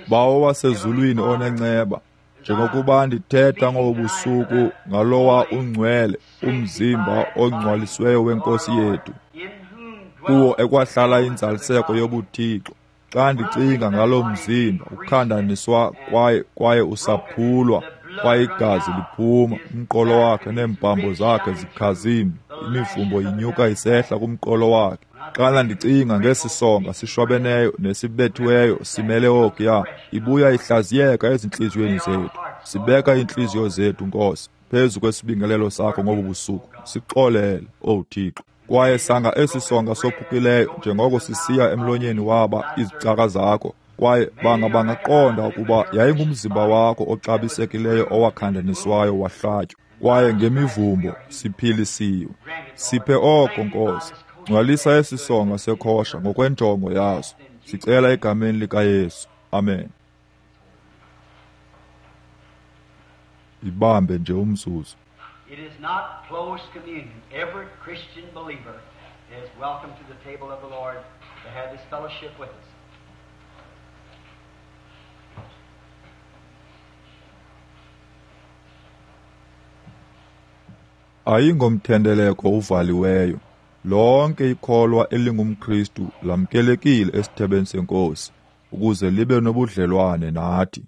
Bawo wasezulwini onenceba, njengokuba ndithetha ngobu busuku ngalowa ungcwele, umzimba ongcwalisiweyo weNkosi yethu, kuwo ekwahlala inzaliseko yobuThixo. Xa ndicinga ngalo mzimba ukhandaniswa kwaye usaphulwa, kwaye igazi liphuma, umqolo wakhe neempambo zakhe zikhazimla, imivumbo inyuka isehla kumqolo wakhe. Xana ndicinga ngesi sonka sishwabeneyo nesibethiweyo simele okuya, ibuya ihlaziyeka ezintliziyweni zethu. Sibeka iintliziyo zethu, Nkosi, phezu kwesibingelelo sakho ngobu busuku. Sixolele, Owu Thixo. Kwaye sanga esi sonka sophukileyo njengoko sisiya emlonyeni waba izicaka zakho, kwaye banga bangaqonda ukuba yayingumzimba wakho oxabisekileyo owakhandaniswayo wahlatywa, kwaye ngemivumbo siphilisiwe. Siphe oko, Nkosi. Ngcwalisa esi sonka sekhosha ngokwenjongo yaso. Sicela egameni likaYesu. Amen. Ibambe nje umzuzu. It is not closed communion. Every Christian believer is welcome to the table of the Lord to have this fellowship with us. Ayingomthendeleko uvaliweyo. Lonke ikholwa elingumKristu lamkelekile esithebeni seNkosi ukuze libe nobudlelwane nathi.